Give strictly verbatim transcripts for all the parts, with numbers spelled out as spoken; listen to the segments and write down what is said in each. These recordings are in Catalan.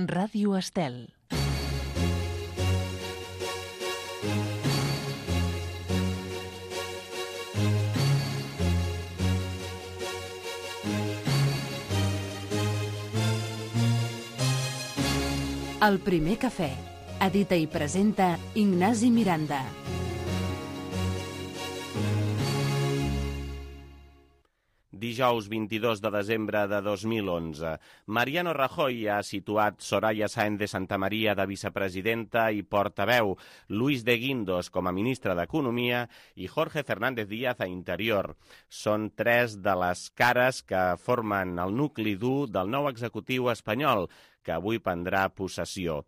Ràdio Estel. El primer cafè. Edita i presenta Ignasi Miranda. Dijous vint-i-dos de desembre de dos mil onze. Mariano Rajoy ha situat Soraya Sáenz de Santamaría de vicepresidenta i portaveu, Luis de Guindos com a ministre d'Economia i Jorge Fernández Díaz a Interior. Són tres de les cares que formen el nucli dur del nou executiu espanyol, que avui prendrà possessió.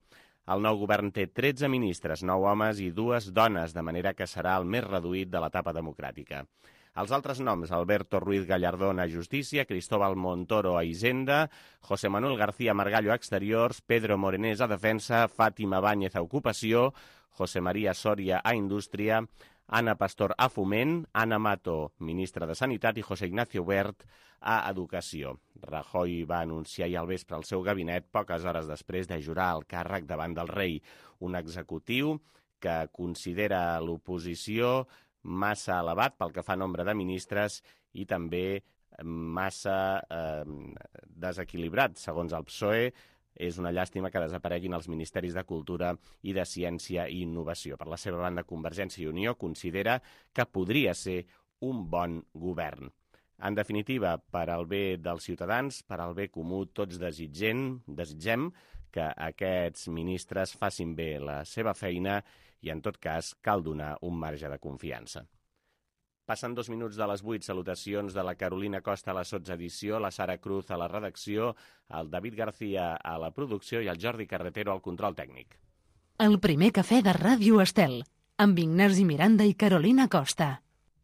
El nou govern té tretze ministres, nou homes i dues dones, de manera que serà el més reduït de l'etapa democràtica. Els altres noms: Alberto Ruiz Gallardón a Justícia, Cristóbal Montoro a Hisenda, José Manuel García Margallo a Exteriors, Pedro Morenés a Defensa, Fátima Báñez a Ocupació, José María Soria a Indústria, Ana Pastor a Foment, Ana Mato, ministra de Sanitat, i José Ignacio Wert a Educació. Rajoy va anunciar ahir al vespre el seu gabinet poques hores després de jurar el càrrec davant del rei, un executiu que considera l'oposició massa elevat pel que fa a nombre de ministres i també massa eh, desequilibrat, segons el P S O E. És una llàstima que desapareguin els ministeris de Cultura i de Ciència i Innovació. Per la seva banda, Convergència i Unió considera que podria ser un bon govern. En definitiva, per al bé dels ciutadans, per al bé comú, tots desitgem, desitgem que aquests ministres facin bé la seva feina i, en tot cas, cal donar un marge de confiança. Passen dos minuts de les vuit. Salutacions de la Carolina Costa a la sotsedició, la Sara Cruz a la redacció, el David García a la producció i el Jordi Carretero al control tècnic. El primer cafè de Ràdio Estel, amb Ignasi Miranda i Carolina Costa.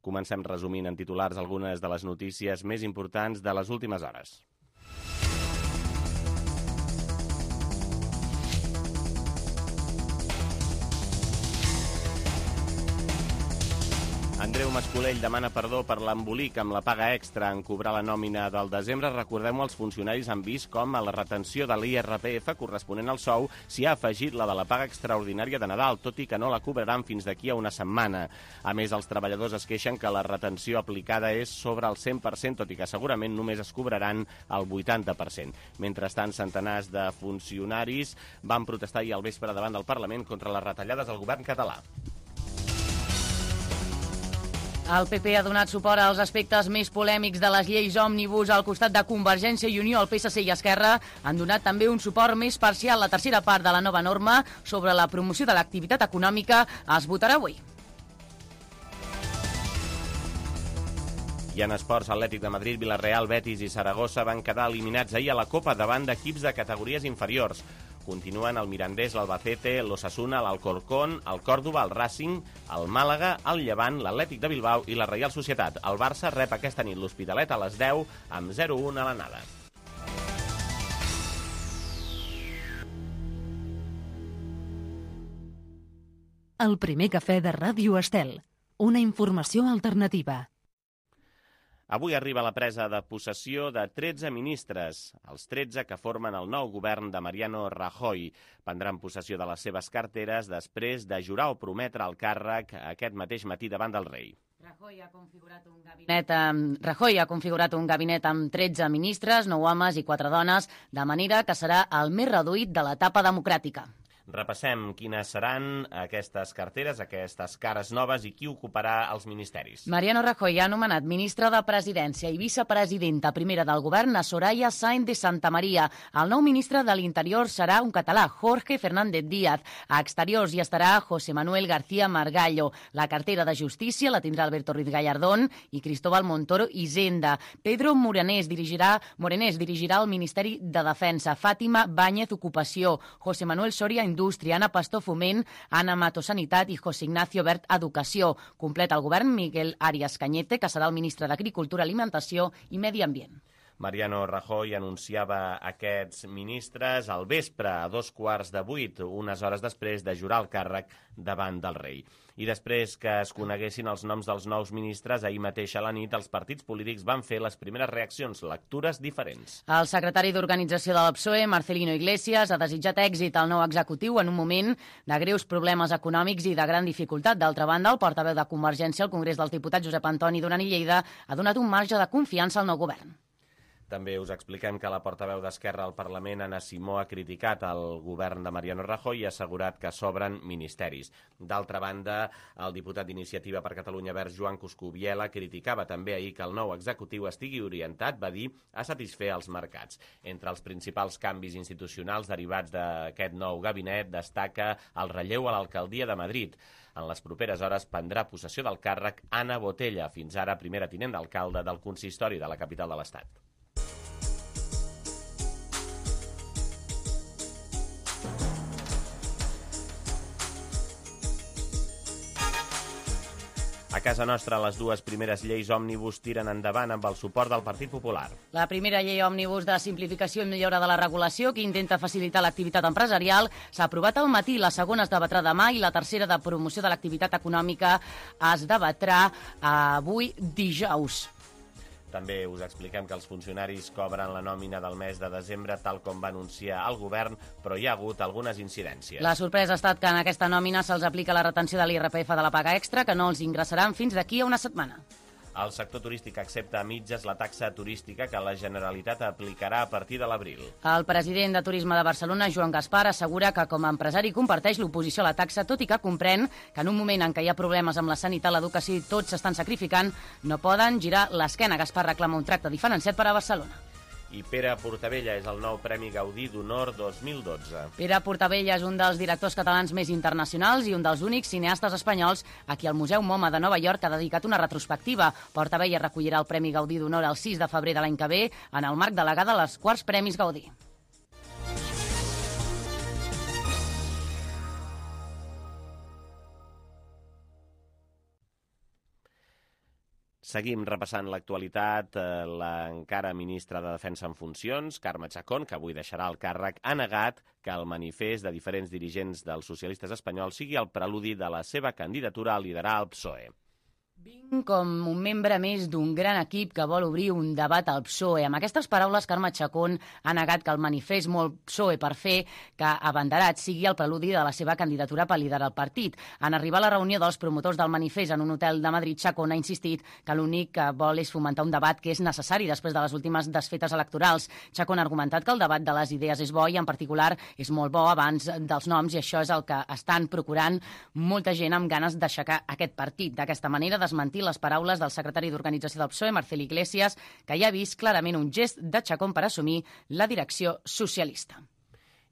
Comencem resumint en titulars algunes de les notícies més importants de les últimes hores. Andreu Mascolell demana perdó per l'embolic amb la paga extra en cobrar la nòmina del desembre. Recordem-ho, els funcionaris han vist com a la retenció de l'I R P F corresponent al sou s'hi ha afegit la de la paga extraordinària de Nadal, tot i que no la cobraran fins d'aquí a una setmana. A més, els treballadors es queixen que la retenció aplicada és sobre el cent per cent, tot i que segurament només es cobraran el vuitanta per cent. Mentrestant, centenars de funcionaris van protestar ahir al vespre davant del Parlament contra les retallades del govern català. El P P ha donat suport als aspectes més polèmics de les lleis òmnibus al costat de Convergència i Unió. El P S C i Esquerra han donat també un suport més parcial. La tercera part de la nova norma sobre la promoció de l'activitat econòmica es votarà avui. I en esports, Atlètic de Madrid, Villarreal, Betis i Saragossa van quedar eliminats ahir a la Copa davant d'equips de categories inferiors. Continuen el Mirandés, l'Albacete, l'Osasuna, l'Alcorcón, el Còrdova, el Racing, el Màlaga, el Llevant, l'Atlètic de Bilbao i la Reial Societat. El Barça rep aquesta nit l'Hospitalet a les deu amb zero a un a l'anada. El primer cafè de Ràdio Estel. Una informació alternativa. Avui arriba la presa de possessió de tretze ministres, els tretze que formen el nou govern de Mariano Rajoy. Prendran possessió de les seves carteres després de jurar o prometre el càrrec aquest mateix matí davant del rei. Rajoy ha configurat un gabinet, eh, Rajoy ha configurat un gabinet amb tretze ministres, nou homes i quatre dones, de manera que serà el més reduït de l'etapa democràtica. Repassem quines seran aquestes carteres, aquestes cares noves i qui ocuparà els ministeris. Mariano Rajoy ha nomenat ministra de Presidència i vicepresidenta primera del govern a Soraya Sáenz de Santamaría. El nou ministre de l'Interior serà un català, Jorge Fernández Díaz. A Exteriors hi estarà José Manuel García Margallo. La cartera de Justícia la tindrà Alberto Ruiz Gallardón i Cristóbal Montoro Hisenda. Pedro Morenés dirigirà, Morenés dirigirà el Ministeri de Defensa. Fátima Báñez Ocupació. José Manuel Soria Indústria, Ana Pastor Foment, Ana Mato Sanitat i José Ignacio Wert Educació. Completa el govern Miguel Arias Cañete, que serà el ministre d'Agricultura, Alimentació i Medi Ambient. Mariano Rajoy anunciava aquests ministres al vespre, a dos quarts de vuit, unes hores després de jurar el càrrec davant del rei. I després que es coneguessin els noms dels nous ministres, ahir mateix a la nit els partits polítics van fer les primeres reaccions, lectures diferents. El secretari d'Organització de la P S O E, Marcelino Iglesias, ha desitjat èxit al nou executiu en un moment de greus problemes econòmics i de gran dificultat. D'altra banda, el portaveu de Convergència al Congrés dels Diputats, Josep Antoni Duran i Lleida, ha donat un marge de confiança al nou govern. També us expliquem que la portaveu d'Esquerra al Parlament, Anna Simó, ha criticat el govern de Mariano Rajoy i ha assegurat que s'obren ministeris. D'altra banda, el diputat d'Iniciativa per Catalunya Verds, Joan Coscubiela, criticava també ahir que el nou executiu estigui orientat, va dir, a satisfer els mercats. Entre els principals canvis institucionals derivats d'aquest nou gabinet destaca el relleu a l'alcaldia de Madrid. En les properes hores prendrà possessió del càrrec Anna Botella, fins ara primera tinent d'alcalde del consistori de la capital de l'Estat. A casa nostra, les dues primeres lleis òmnibus tiren endavant amb el suport del Partit Popular. La primera llei òmnibus de simplificació i millora de la regulació, que intenta facilitar l'activitat empresarial, s'ha aprovat al matí. La segona es debatrà demà i la tercera, de promoció de l'activitat econòmica, es debatrà avui dijous. També us expliquem que els funcionaris cobren la nòmina del mes de desembre, tal com va anunciar el govern, però hi ha hagut algunes incidències. La sorpresa ha estat que en aquesta nòmina se'ls aplica la retenció de l'I R P F de la paga extra, que no els ingressaran fins d'aquí a una setmana. El sector turístic accepta a mitges la taxa turística que la Generalitat aplicarà a partir de l'abril. El president de Turisme de Barcelona, Joan Gaspar, assegura que com a empresari comparteix l'oposició a la taxa, tot i que comprèn que en un moment en què hi ha problemes amb la sanitat, l'educació i tots s'estan sacrificant, no poden girar l'esquena. Gaspar reclama un tracte diferenciat per a Barcelona. I Pere Portabella és el nou Premi Gaudí d'Honor dos mil dotze. Pere Portabella és un dels directors catalans més internacionals i un dels únics cineastes espanyols a qui el Museu MoMA de Nova York ha dedicat una retrospectiva. Portabella recollirà el Premi Gaudí d'Honor el sis de febrer de l'any que ve en el marc de la gala dels quarts Premis Gaudí. Seguim repassant l'actualitat. L'encara ministra de Defensa en funcions, Carme Chacón, que avui deixarà el càrrec, ha negat que el manifest de diferents dirigents dels socialistes espanyols sigui el preludi de la seva candidatura a liderar el P S O E. Vinc com un membre més d'un gran equip que vol obrir un debat al P S O E. Amb aquestes paraules, Carme Chacón ha negat que el manifest molt P S O E per fer que abanderat sigui el preludi de la seva candidatura per liderar el partit. En arribar a la reunió dels promotors del manifest en un hotel de Madrid, Chacón ha insistit que l'únic que vol és fomentar un debat que és necessari després de les últimes desfetes electorals. Chacón ha argumentat que el debat de les idees és bo i, en particular, és molt bo abans dels noms, i això és el que estan procurant molta gent amb ganes d'aixecar aquest partit. D'aquesta manera, desmentir les paraules del secretari d'Organització del P S O E, Marcel Iglesias, que ja ha vist clarament un gest de Chacón per assumir la direcció socialista.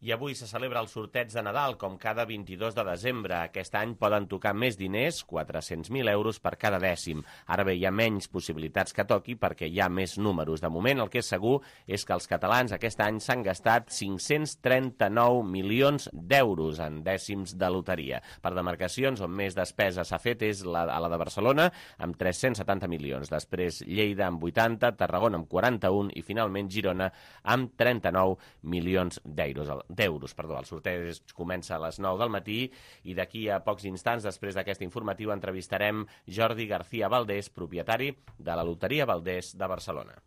I avui se celebra el sorteig de Nadal, com cada vint-i-dos de desembre. Aquest any poden tocar més diners, quatre-cents mil euros per cada dècim. Ara bé, hi ha menys possibilitats que toqui perquè hi ha més números. De moment, el que és segur és que els catalans aquest any s'han gastat cinc-cents trenta-nou milions d'euros en dècims de loteria. Per demarcacions, on més despesa s'ha fet és la, a la de Barcelona, amb tres-cents setanta milions. Després, Lleida, amb vuitanta, Tarragona, amb quaranta-un i, finalment, Girona, amb trenta-nou milions d'euros. d'euros. Perdó. El sorteig comença a les nou del matí i d'aquí a pocs instants, després d'aquesta informativa, entrevistarem Jordi García Valdés, propietari de la Loteria Valdés de Barcelona.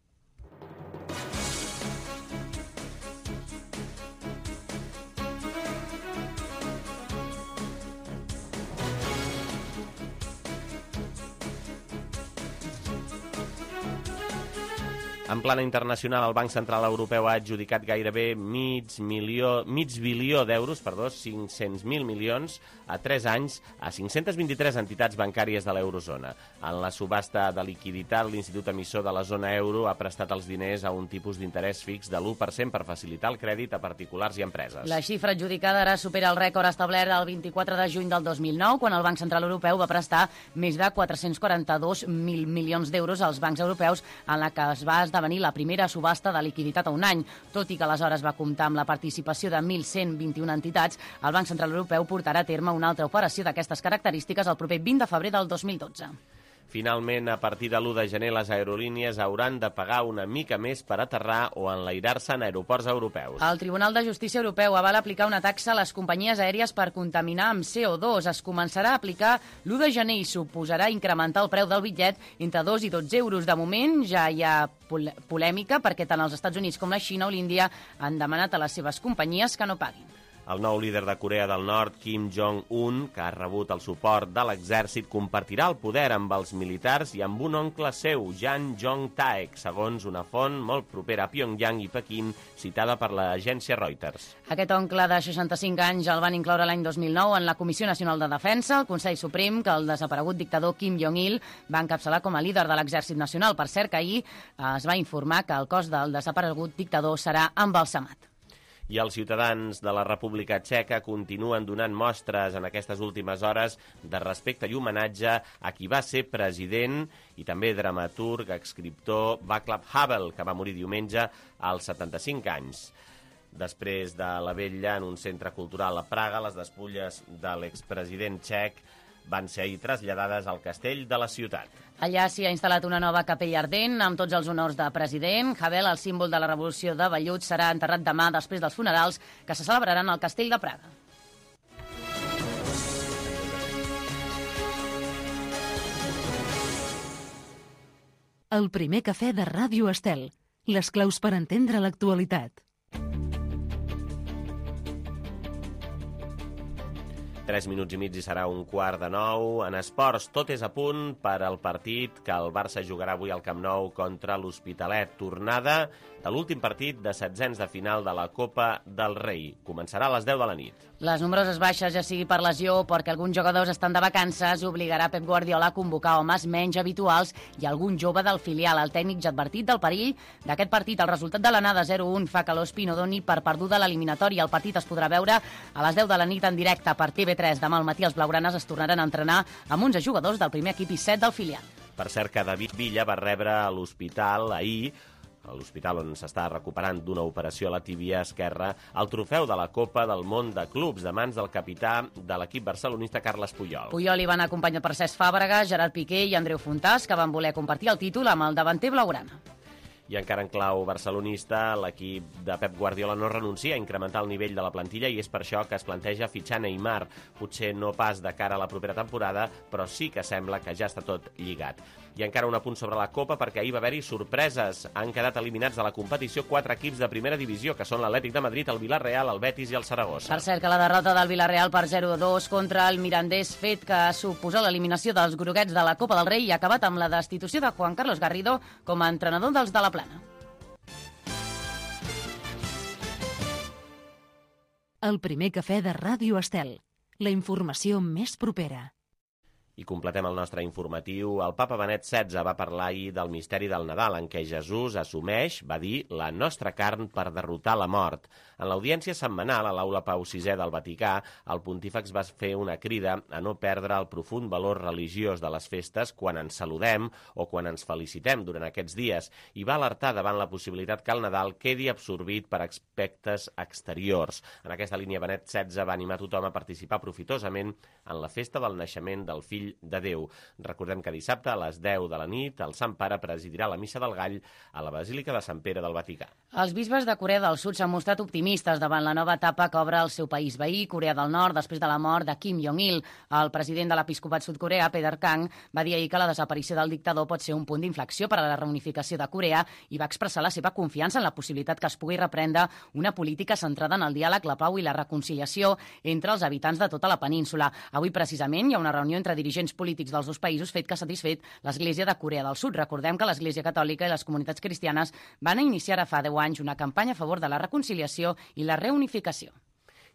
En plana internacional, el Banc Central Europeu ha adjudicat gairebé mig, milió, mig bilió d'euros, perdó, cinc-cents mil milions, a tres anys a cinc-cents vint-i-tres entitats bancàries de l'eurozona. En la subhasta de liquiditat, l'Institut Emissor de la zona euro ha prestat els diners a un tipus d'interès fix de l'u per cent per facilitar el crèdit a particulars i empreses. La xifra adjudicada ara supera el rècord establert el vint-i-quatre de juny del dos mil nou, quan el Banc Central Europeu va prestar més de quatre-cents quaranta-dos mil milions d'euros als bancs europeus, en la que es va esdevenir la primera subhasta de liquiditat a un any. Tot i que aleshores va comptar amb la participació de mil cent vint-i-una entitats, el Banc Central Europeu portarà a terme una altra operació d'aquestes característiques el proper vint de febrer del dos mil dotze. Finalment, a partir de l'u de gener, les aerolínies hauran de pagar una mica més per aterrar o enlairar-se en aeroports europeus. El Tribunal de Justícia Europeu avala aplicar una taxa a les companyies aèries per contaminar amb C O dos. Es començarà a aplicar l'u de gener i suposarà incrementar el preu del bitllet entre dos i dotze euros. De moment ja hi ha polèmica perquè tant els Estats Units com la Xina o l'Índia han demanat a les seves companyies que no paguin. El nou líder de Corea del Nord, Kim Jong-un, que ha rebut el suport de l'exèrcit, compartirà el poder amb els militars i amb un oncle seu, Jan Jong-taek, segons una font molt propera a Pyongyang i Pequín, citada per l'agència Reuters. Aquest oncle de seixanta-cinc anys el van incloure l'any dos mil nou en la Comissió Nacional de Defensa, el Consell Suprem, que el desaparegut dictador Kim Jong-il va encapçalar com a líder de l'exèrcit nacional. Per cert, que ahir es va informar que el cos del desaparegut dictador serà embalsamat. I els ciutadans de la República Txeca continuen donant mostres en aquestes últimes hores de respecte i homenatge a qui va ser president i també dramaturg, escriptor Václav Havel, que va morir diumenge als setanta-cinc anys. Després de la vetlla en un centre cultural a Praga, les despulles de l'expresident txec van ser ahir traslladades al castell de la ciutat. Allà s'hi ha instal·lat una nova capella ardent amb tots els honors de president. Havel, el símbol de la revolució de vellut, serà enterrat demà després dels funerals que se celebraran al castell de Praga. El primer cafè de Ràdio Estel. Les claus per entendre l'actualitat. Tres minuts i mig i serà un quart de nou. En esports, tot és a punt per al partit que el Barça jugarà avui al Camp Nou contra l'Hospitalet. Tornada de l'últim partit de setzents de final de la Copa del Rei. Començarà a les deu de la nit. Les nombroses baixes, ja sigui per lesió o perquè alguns jugadors estan de vacances, obligarà Pep Guardiola a convocar homes menys habituals i algun jove del filial. El tècnic ja ha advertit del perill d'aquest partit. El resultat de l'anada zero un fa que l'Hospi no doni per perduda l'eliminatòria. El partit es podrà veure a les deu de la nit en directe per T V tres. Demà al matí els blaugranes es tornaran a entrenar amb onze jugadors del primer equip i set del filial. Per cert, que David Villa va rebre a l'hospital ahir, a l'hospital on s'està recuperant d'una operació a la tíbia esquerra, el trofeu de la Copa del Món de Clubs de mans del capità de l'equip barcelonista Carles Puyol. Puyol hi van acompanyar per Cesc Fàbregas, Gerard Piqué i Andreu Fontàs, que van voler compartir el títol amb el davanter blaugrana. I encara en clau barcelonista, l'equip de Pep Guardiola no renuncia a incrementar el nivell de la plantilla i és per això que es planteja fitxar Neymar. Potser no pas de cara a la propera temporada, però sí que sembla que ja està tot lligat. I encara un apunt sobre la Copa, perquè ahir va haver-hi sorpreses. Han quedat eliminats de la competició quatre equips de primera divisió, que són l'Atlètic de Madrid, el Villarreal, el Betis i el Saragossa. Per cert, que la derrota del Villarreal per zero a dos contra el Mirandés, fet que suposa l'eliminació dels groguets de la Copa del Rei, i ha acabat amb la destitució de Juan Carlos Garrido com a entrenador dels de la Plana. El primer cafè de Ràdio Estel. La informació més propera. I completem el nostre informatiu. El papa Benet setze va parlar ahir del misteri del Nadal, en què Jesús assumeix, va dir, la nostra carn per derrotar la mort. En l'audiència setmanal a l'Aula Pau sisè del Vaticà, el pontífex va fer una crida a no perdre el profund valor religiós de les festes quan ens saludem o quan ens felicitem durant aquests dies, i va alertar davant la possibilitat que el Nadal quedi absorbit per aspectes exteriors. En aquesta línia, Benet setze va animar tothom a participar profitosament en la festa del naixement del fill de Déu. Recordem que dissabte a les deu de la nit el Sant Pare presidirà la Missa del Gall a la Basílica de Sant Pere del Vaticà. Els bisbes de Corea del Sud s'han mostrat optimistes davant la nova etapa que obre el seu país veí, Corea del Nord, després de la mort de Kim Jong-il. El president de l'episcopat sud-coreà, Peter Kang, va dir ahir que la desaparició del dictador pot ser un punt d'inflexió per a la reunificació de Corea i va expressar la seva confiança en la possibilitat que es pugui reprendre una política centrada en el diàleg, la pau i la reconciliació entre els habitants de tota la península. Avui, precisament, hi ha una reunió entre dirigents polítics dels dos països, fet que ha satisfet l'Església de Corea del Sud. Recordem que l'Església Catòlica i les comunitats cristianes van iniciar ara fa deu anys una campanya a favor de la reconciliació i la reunificació.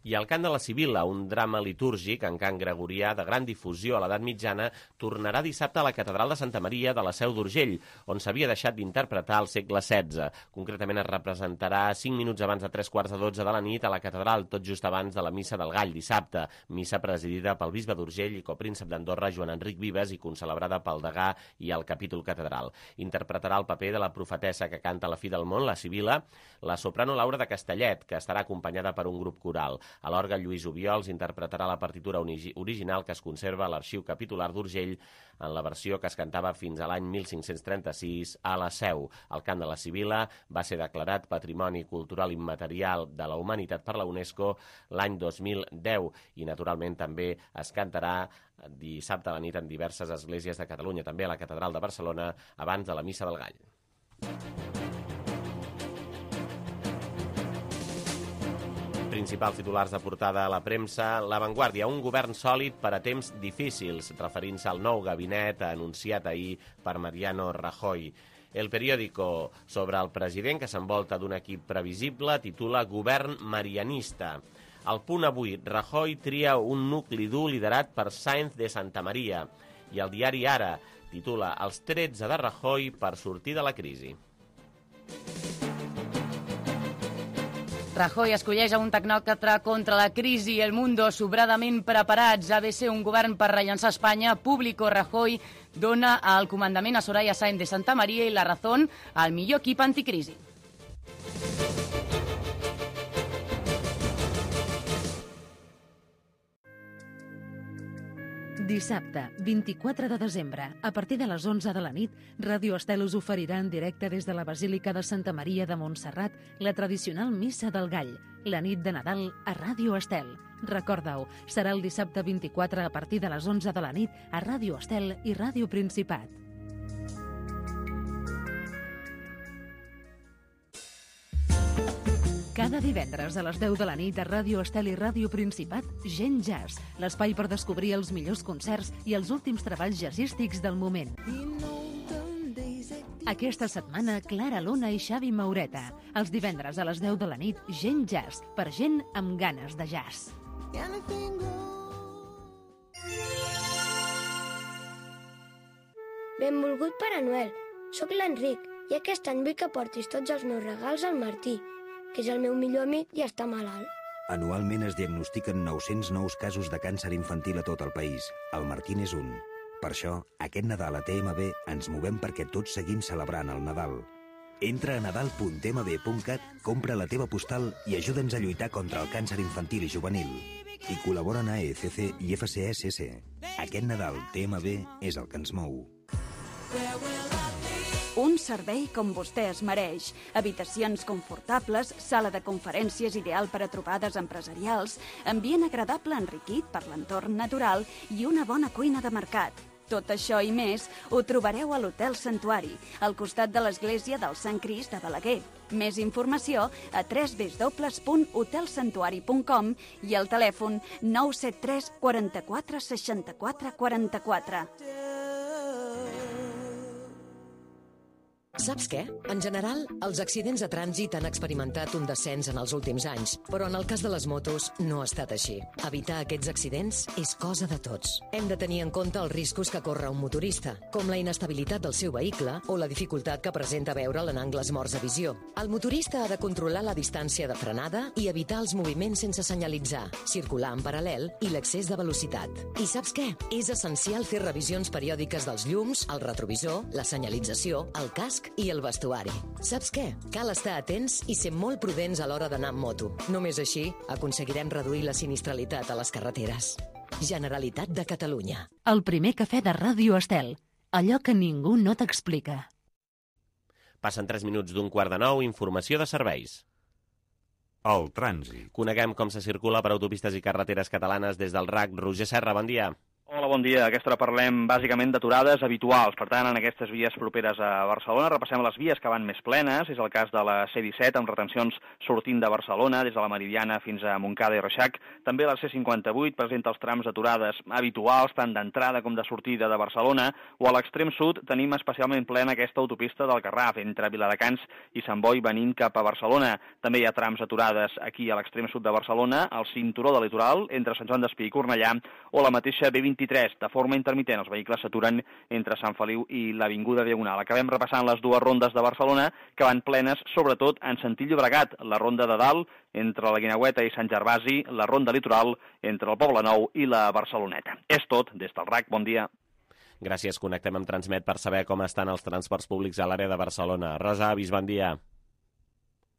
I el cant de la Sibila, un drama litúrgic en cant gregorià de gran difusió a l'edat mitjana, tornarà dissabte a la Catedral de Santa Maria de la Seu d'Urgell, on s'havia deixat d'interpretar al segle setze. Concretament es representarà cinc minuts abans de tres quarts de dotze de la nit a la Catedral, tot just abans de la Missa del Gall, dissabte. Missa presidida pel bisbe d'Urgell i copríncep d'Andorra, Joan Enric Vives, i concelebrada pel degà i el capítol catedral. Interpretarà el paper de la profetessa que canta la fi del món, la Sibila, la soprano Laura de Castellet, que estarà acompanyada per un grup coral. A l'orgue, Lluís Obiols interpretarà la partitura original que es conserva a l'Arxiu Capitular d'Urgell en la versió que es cantava fins a l'any mil cinc-cents trenta-sis a la Seu. El cant de la Sibila va ser declarat Patrimoni Cultural Immaterial de la Humanitat per la UNESCO l'any dos mil deu i, naturalment, també es cantarà dissabte a la nit en diverses esglésies de Catalunya, també a la Catedral de Barcelona, abans de la Missa del Gall. Principals titulars de portada a la premsa. La Vanguardia, un govern sòlid per a temps difícils, referint-se al nou gabinet anunciat ahir per Mariano Rajoy. El periòdico, sobre el president que s'envolta d'un equip previsible, titula Govern marianista. Al Punt avui, Rajoy tria un nucli dur liderat per Sáenz de Santamaría. I el diari Ara titula Els tretze de Rajoy per sortir de la crisi. Rajoy escolleix a un tecnòcrata contra la crisi i El Mundo sobradament preparats. Ha de ser un govern per rellançar Espanya. Público, Rajoy dona el comandament a Soraya Sáenz de Santamaría i La Razón al millor equip anticrisi. Dissabte, vint-i-quatre de desembre, a partir de les onze de la nit, Ràdio Estel us oferirà en directe des de la Basílica de Santa Maria de Montserrat la tradicional Missa del Gall, la nit de Nadal a Ràdio Estel. Recorda-ho, serà el dissabte vint-i-quatre a partir de les onze de la nit a Ràdio Estel i Ràdio Principat. Cada divendres a les deu de la nit a Ràdio Estel i Ràdio Principat, Gent Jazz, l'espai per descobrir els millors concerts i els últims treballs jazzístics del moment. Aquesta setmana, Clara Luna i Xavi Maureta. Els divendres a les deu de la nit, Gent Jazz, per gent amb ganes de jazz. Benvolgut Pare Noel, sóc l'Enric i aquest any vull que portis tots els meus regals al Martí, que és el meu millor amic i està malalt. Anualment es diagnostiquen nou-cents nous casos de càncer infantil a tot el país. El Martín és un. Per això, aquest Nadal a T M B ens movem perquè tots seguim celebrant el Nadal. Entra a nadal punt t m b punt cat, compra la teva postal i ajuda'ns a lluitar contra el càncer infantil i juvenil. I col·laboren a E C C i F C S S. Aquest Nadal T M B és el que ens mou. Un servei com vostè es mereix. Habitacions confortables, sala de conferències ideal per a trobades empresarials, ambient agradable enriquit per l'entorn natural i una bona cuina de mercat. Tot això i més ho trobareu a l'Hotel Santuari, al costat de l'església del Sant Crist de Balaguer. Més informació a w w w punt hotel santuari punt com i al telèfon nou set tres quaranta-quatre seixanta-quatre quaranta-quatre. Saps què? En general, els accidents de trànsit han experimentat un descens en els últims anys, però en el cas de les motos no ha estat així. Evitar aquests accidents és cosa de tots. Hem de tenir en compte els riscos que corre un motorista, com la inestabilitat del seu vehicle o la dificultat que presenta veure'l en angles morts de visió. El motorista ha de controlar la distància de frenada i evitar els moviments sense senyalitzar, circular en paral·lel i l'excés de velocitat. I saps què? És essencial fer revisions periòdiques dels llums, el retrovisor, la senyalització, el casc i el vestuari. Saps què? Cal estar atents i ser molt prudents a l'hora d'anar amb moto. Només així aconseguirem reduir la sinistralitat a les carreteres. Generalitat de Catalunya. El primer cafè de Ràdio Estel. Allò que ningú no t'explica. Passen tres minuts d'un quart de nou, informació de serveis. El trànsit. Coneguem com se circula per autopistes i carreteres catalanes des del R A C. Roger Serra, bon dia. Hola, bon dia. A aquesta hora parlem bàsicament d'aturades habituals. Per tant, en aquestes vies properes a Barcelona repassem les vies que van més plenes. És el cas de la C disset, amb retencions sortint de Barcelona, des de la Meridiana fins a Montcada i Reixac. També la C cinquanta-vuit presenta els trams d'aturades habituals, tant d'entrada com de sortida de Barcelona, o a l'extrem sud tenim especialment plena aquesta autopista del Garraf, entre Viladecans i Sant Boi, venint cap a Barcelona. També hi ha trams aturades aquí a l'extrem sud de Barcelona, al cinturó del litoral, entre Sant Joan d'Espí i Cornellà, o la mateixa B vint-i-tres. De forma intermitent, els vehicles s'aturen entre Sant Feliu i l'Avinguda Diagonal. Acabem repassant les dues rondes de Barcelona, que van plenes, sobretot en sentit Llobregat. La ronda de dalt, entre la Guineueta i Sant Gervasi, la ronda litoral, entre el Poblenou i la Barceloneta. És tot, des del R A C. Bon dia. Gràcies. Connectem amb Transmet per saber com estan els transports públics a l'àrea de Barcelona. Rosa Avis, bon dia.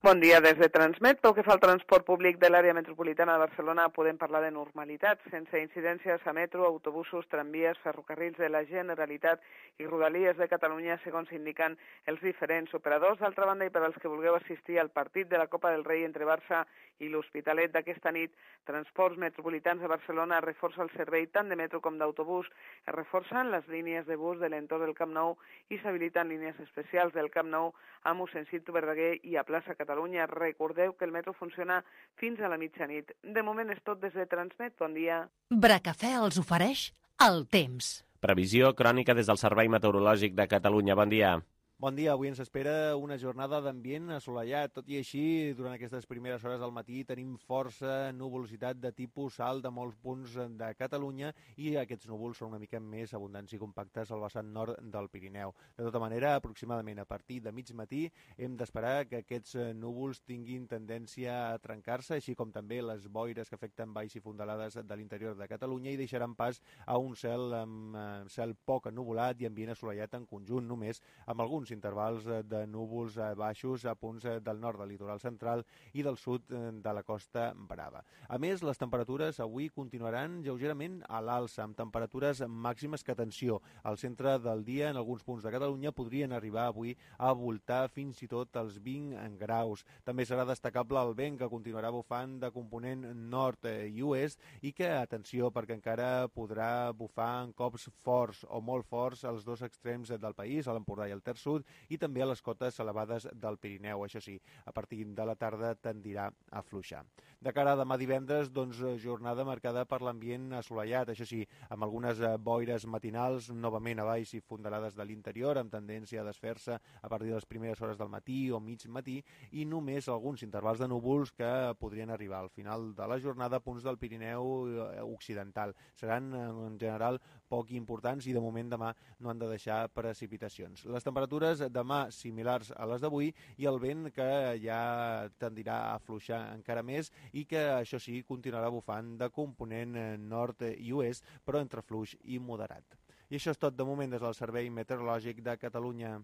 Bon dia des de Transmet. Pel que fa al transport públic de l'àrea metropolitana de Barcelona podem parlar de normalitat, sense incidències a metro, autobusos, tramvies, ferrocarrils de la Generalitat i rodalies de Catalunya, segons indiquen els diferents operadors. D'altra banda, i per als que vulgueu assistir al partit de la Copa del Rei entre Barça i l'Hospitalet d'aquesta nit, Transports Metropolitans de Barcelona reforça el servei tant de metro com d'autobús, es reforcen les línies de bus de l'entorn del Camp Nou i s'habiliten línies especials del Camp Nou a mossèn Cinto Verdaguer i a plaça Catalunya. Recordeu que el metro funciona fins a la mitjanit. De moment és tot des de Transmet. Bon dia. Bracafè els ofereix el temps. Previsió crònica des del Servei Meteorològic de Catalunya. Bon dia. Bon dia, avui ens espera una jornada d'ambient assolellat. Tot i així, durant aquestes primeres hores del matí tenim força nuvolositat de tipus alt de molts punts de Catalunya i aquests núvols són una mica més abundants i compactes al vessant nord del Pirineu. De tota manera, aproximadament a partir de mig matí hem d'esperar que aquests núvols tinguin tendència a trencar-se, així com també les boires que afecten valls i fondalades de l'interior de Catalunya i deixaran pas a un cel amb cel poc ennuvolat i ambient assolellat en conjunt, només amb alguns intervals de núvols baixos a punts del nord del litoral central i del sud de la Costa Brava. A més, les temperatures avui continuaran lleugerament a l'alça, amb temperatures màximes que, atenció, al centre del dia en alguns punts de Catalunya podrien arribar avui a voltar fins i tot els vint graus. També serà destacable el vent que continuarà bufant de component nord i oest i que, atenció, perquè encara podrà bufar en cops forts o molt forts als dos extrems del país, a l'Empordà i al Ter Sud, i també a les cotes elevades del Pirineu. Això sí, a partir de la tarda tendirà a afluixar. De cara a demà divendres, doncs, jornada marcada per l'ambient assolellat, això sí, amb algunes boires matinals, novament a valls i fondalades de l'interior, amb tendència a desfer-se a partir de les primeres hores del matí o mig matí, i només alguns intervals de núvols que podrien arribar al final de la jornada a punts del Pirineu occidental. Seran, en general, poc importants i de moment demà no han de deixar precipitacions. Les temperatures demà similars a les d'avui i el vent que ja tendirà a afluixar encara més i que, això sí, continuarà bufant de component nord i oest, però entre fluix i moderat. I això és tot de moment des del Servei Meteorològic de Catalunya.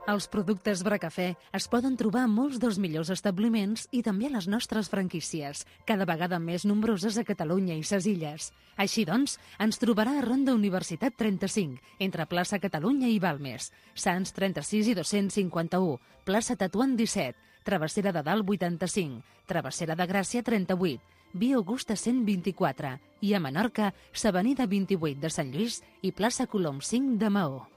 Els productes Bracafè es poden trobar a molts dels millors establiments i també a les nostres franquícies, cada vegada més nombroses a Catalunya i ses illes. Així doncs, ens trobarà a Ronda Universitat trenta-cinc, entre plaça Catalunya i Balmes, Sants trenta-sis i dos-cents cinquanta-u, plaça Tatuant disset, Travessera de Dalt vuitanta-cinc, Travessera de Gràcia trenta-vuit, Via Augusta cent vint-i-quatre i a Menorca, s'Avenida vint-i-vuit de Sant Lluís i plaça Colom cinc de Maó.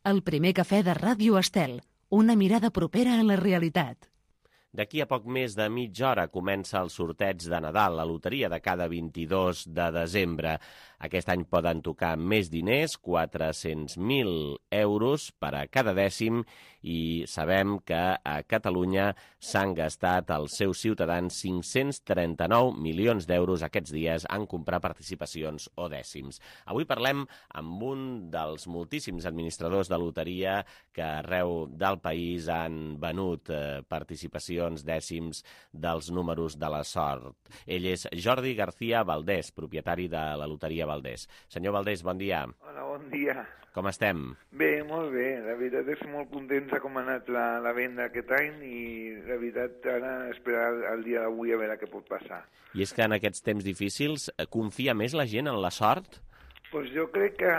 El primer cafè de Ràdio Estel, una mirada propera a la realitat. D'aquí a poc més de mitja hora comença el sorteig de Nadal, la loteria de cada vint-i-dos de desembre. Aquest any poden tocar més diners, quatre-cents mil euros per a cada dècim, i sabem que a Catalunya s'han gastat els seus ciutadans cinc-cents trenta-nou milions d'euros aquests dies en comprar participacions o dècims. Avui parlem amb un dels moltíssims administradors de loteria que arreu del país han venut eh, participacions, dècims dels números de la sort. Ell és Jordi García Valdés, propietari de la loteria Valdés. Senyor Valdés, bon dia. Hola, bon dia. Com estem? Bé, molt bé. La veritat és molt contents de com ha anat la, la venda aquest any i la veritat ara esperar el dia d'avui a veure què pot passar. I és que en aquests temps difícils confia més la gent en la sort? Pues jo crec que,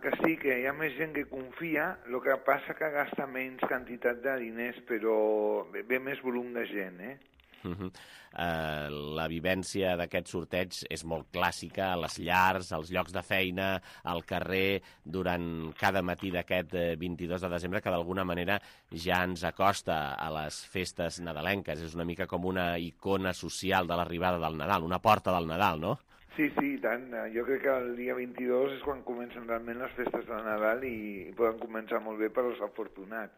que sí, que hi ha més gent que confia, el que passa que gasta menys quantitat de diners, però ve, ve més volum de gent, eh? Uh -huh. uh, la vivència d'aquest sorteig és molt clàssica, a les llars, als llocs de feina, al carrer, durant cada matí d'aquest vint-i-dos de desembre, que d'alguna manera ja ens acosta a les festes nadalenques. És una mica com una icona social de l'arribada del Nadal, una porta del Nadal, no? Sí, sí, i tant. Jo crec que el dia vint-i-dos és quan comencen realment les festes de Nadal i poden començar molt bé per als afortunats.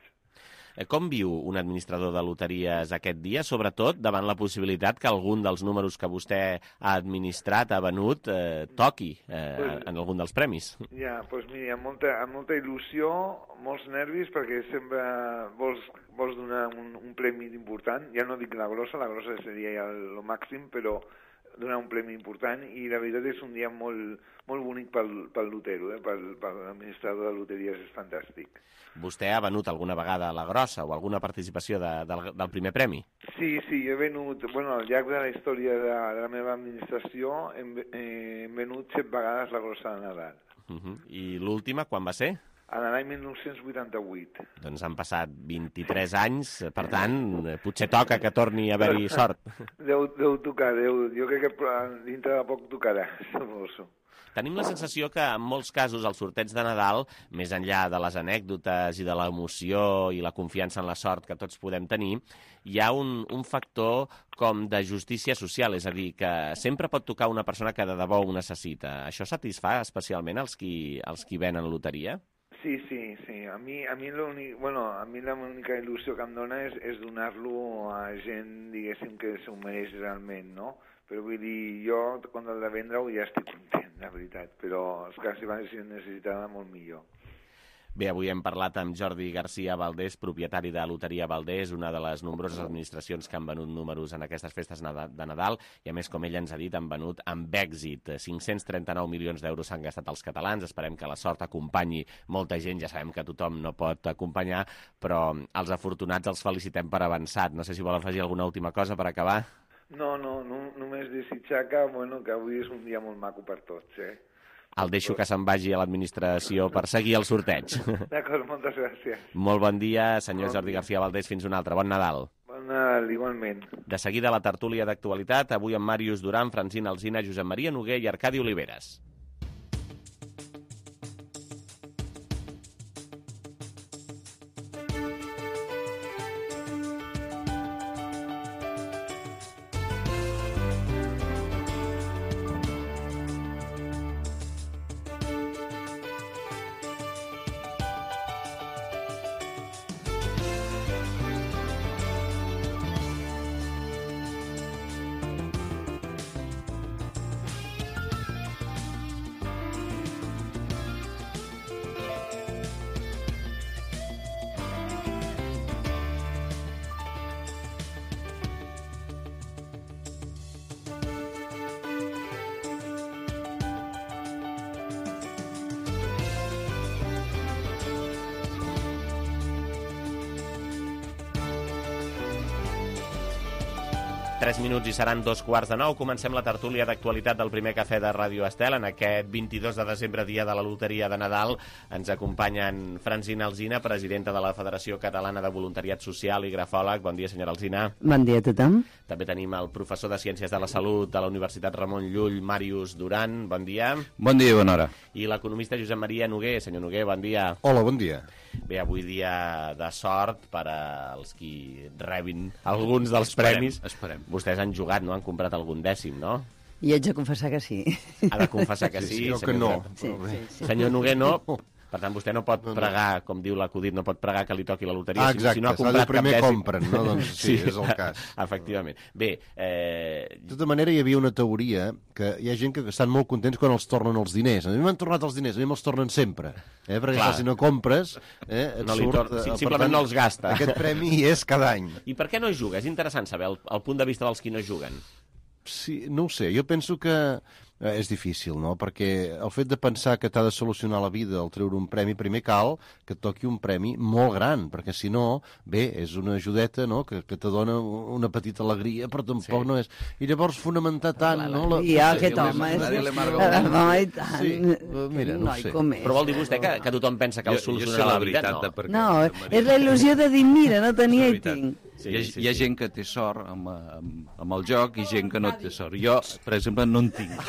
Com viu un administrador de loteries aquest dia, sobretot davant la possibilitat que algun dels números que vostè ha administrat, ha venut, eh, toqui eh, pues, en algun dels premis? Ja, doncs pues mira, amb molta, amb molta il·lusió, molts nervis, perquè sempre vols, vols donar un, un premi important. Ja no dic la grossa, la grossa seria ja el, el màxim, però donar un premi important i la veritat és un dia molt, molt bonic pel, pel lotero, eh? pel, per l'administrador de loteries, és fantàstic. Vostè ha venut alguna vegada a la grossa o alguna participació de, del, del primer premi? Sí, sí, he venut, bueno, al llarg de la història de, de la meva administració hem, eh, hem venut set vegades la grossa de Nadal. Uh -huh. I l'última, quan va ser? En l'any mil nou-cents vuitanta-vuit. Doncs han passat vint-i-tres anys, per tant, potser toca que torni a haver-hi sort. Deu, deu tocar, deu, jo crec que dintre de poc tocarà, suposo. Tenim la sensació que en molts casos el sorteig de Nadal, més enllà de les anècdotes i de l'emoció i la confiança en la sort que tots podem tenir, hi ha un, un factor com de justícia social, és a dir, que sempre pot tocar una persona que de debò ho necessita. Això satisfà especialment els qui, els qui venen loteria? Sí, sí, sí. A mi, a mi l'únic, bueno, a mi l'única il·lusió que em dona és, és donar-lo a gent, diguéssim, que s'ho mereix realment, no? Però vull dir, jo, quan el de vendre-ho, ja estic content, la veritat. Però, esclar, si va ser necessitada, molt millor. Bé, avui hem parlat amb Jordi García Valdés, propietari de Loteria Valdés, una de les nombroses administracions que han venut números en aquestes festes de Nadal, i a més, com ell ens ha dit, han venut amb èxit. cinc-cents trenta-nou milions d'euros s'han gastat els catalans, esperem que la sort acompanyi molta gent, ja sabem que tothom no pot acompanyar, però els afortunats els felicitem per avançat. No sé si vol afegir alguna última cosa per acabar. No, no, no només desitjar que, bueno, que avui és un dia molt maco per tots, eh? El deixo que se'n vagi a l'administració per seguir el sorteig. D'acord, moltes gràcies. Molt bon dia, senyor bon Jordi dia. García Valdés, fins un altre. Bon Nadal. Bon Nadal, igualment. De seguida la tertúlia d'actualitat, avui amb Màrius Duran, Francina Alsina, Josep Maria Noguer i Arcadi Oliveres. Tres minuts i seran dos quarts de nou. Comencem la tertúlia d'actualitat del primer cafè de Ràdio Estel. En aquest vint-i-dos de desembre, dia de la loteria de Nadal, ens acompanyen Francina Alsina, presidenta de la Federació Catalana de Voluntariat Social i grafòleg. Bon dia, senyora Alsina. Bon dia a tothom. També tenim el professor de Ciències de la Salut de la Universitat Ramon Llull, Màrius Duran. Bon dia. Bon dia i bona hora. I l'economista Josep Maria Noguer. Senyor Noguer, bon dia. Hola, bon dia. Bé, avui dia de sort per als qui rebin alguns dels esperem, premis. Esperem. Vostès han jugat, no? Han comprat algun dècim, no? I haig de confessar que sí. Ha de confessar que sí, sí, sí senyor que no. Sí, sí, sí. Senyor Noguer, no. Per tant, vostè no pot pregar, com diu l'acudit, no pot pregar que li toqui la loteria. Ah, exacte, si no ha s'ha de primer cap compren, no? Doncs sí, sí, és el cas. Efectivament. Bé, eh... De tota manera, hi havia una teoria que hi ha gent que estan molt contents quan els tornen els diners. A mi m'han tornat els diners, a mi me'ls tornen sempre. Eh? Perquè clar, si no compres, eh, et no surt... Tor... Sí, simplement tant, no els gasta. Aquest premi hi és cada any. I per què no juga? És interessant saber el, el punt de vista dels qui no juguen. Sí, no ho sé, jo penso que eh, és difícil, no? Perquè el fet de pensar que t'ha de solucionar la vida al treure un premi, primer cal que et toqui un premi molt gran, perquè si no, bé, és una ajudeta, no?, que, que te dona una petita alegria, però tampoc sí. no és... I llavors fonamentar tant, no? La... I aquest home és... Home, i tant. Sí, mira, no sé. Però vol dir vostè que, que tothom pensa que el solucionarà la vida? No, no és la il·lusió de dir, mira, no tenia i tinc. Sí, hi, ha, sí, sí. hi ha gent que té sort amb, amb, amb el joc i gent que no té sort. Jo, per exemple, no en tinc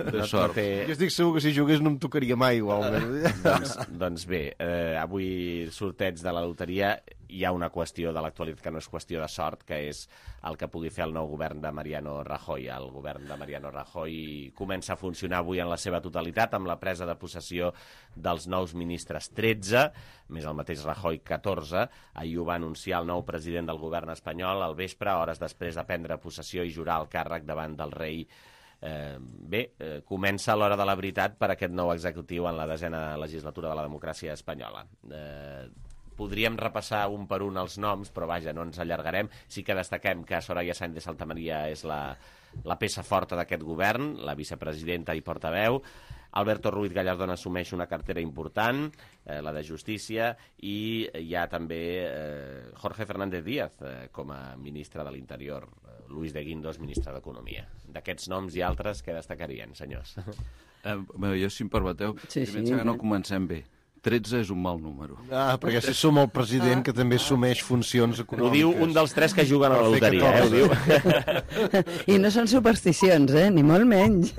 de sort. Jo estic segur que si jugués no em tocaria mai igualment. doncs, doncs bé, eh, avui sorteig de la loteria, hi ha una qüestió de l'actualitat que no és qüestió de sort, que és el que pugui fer el nou govern de Mariano Rajoy. El govern de Mariano Rajoy comença a funcionar avui en la seva totalitat amb la presa de possessió dels nous ministres tretze, més el mateix Rajoy catorze. Ahir ho va anunciar el nou president del govern espanyol al vespre, hores després de prendre possessió i jurar el càrrec davant del rei. Eh, bé, eh, comença l'hora de la veritat per aquest nou executiu en la desena legislatura de la democràcia espanyola. Eh, podríem repassar un per un els noms, però vaja, no ens allargarem. Sí que destaquem que Soraya Sáenz de Santamaría és la, la peça forta d'aquest govern, la vicepresidenta i portaveu. Alberto Ruiz Gallardón assumeix una cartera important, eh, la de Justícia, i hi ha també eh, Jorge Fernández Díaz eh, com a ministre de l'Interior, eh, Luis de Guindos, ministre d'Economia. D'aquests noms i altres, què destacarien, senyors? Eh, bé, jo, si em permeteu, sí, sí, penso que no comencem bé. tretze és un mal número. Ah, perquè si som el president, que també assumeix funcions econòmiques. Ho diu un dels tres que juguen a la loteria, eh? Ho diu. I no són supersticions, eh? Ni molt menys.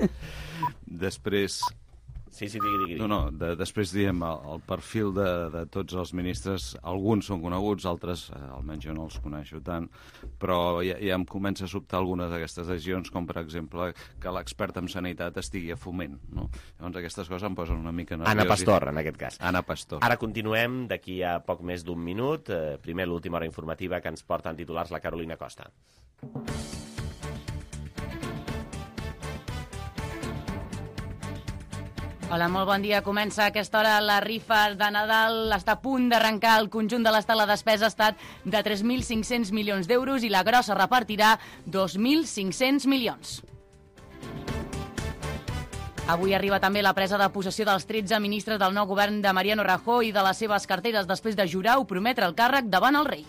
Després... Sí, sí, digui, digui. No, no, de, després diem el, el perfil de, de tots els ministres, alguns són coneguts, altres eh, almenys jo no els coneixo tant, però ja, ja em comença a sobtar algunes d'aquestes decisions, com per exemple que l'expert en sanitat estigui a Foment, no? Llavors aquestes coses em posen una mica nerviós. Anna Pastor, en aquest cas. Anna Pastor. Ara continuem, d'aquí a poc més d'un minut. Eh, primer l'última hora informativa que ens porta en titulars la Carolina Costa. Hola, molt bon dia. Comença a aquesta hora la rifa de Nadal. Està a punt d'arrencar. El conjunt de l'estat, la despesa ha estat de tres mil cinc-cents milions d'euros i la grossa repartirà dos mil cinc-cents milions. Avui arriba també la presa de possessió dels tretze ministres del nou govern de Mariano Rajoy i de les seves carteres després de jurar o prometre el càrrec davant el rei.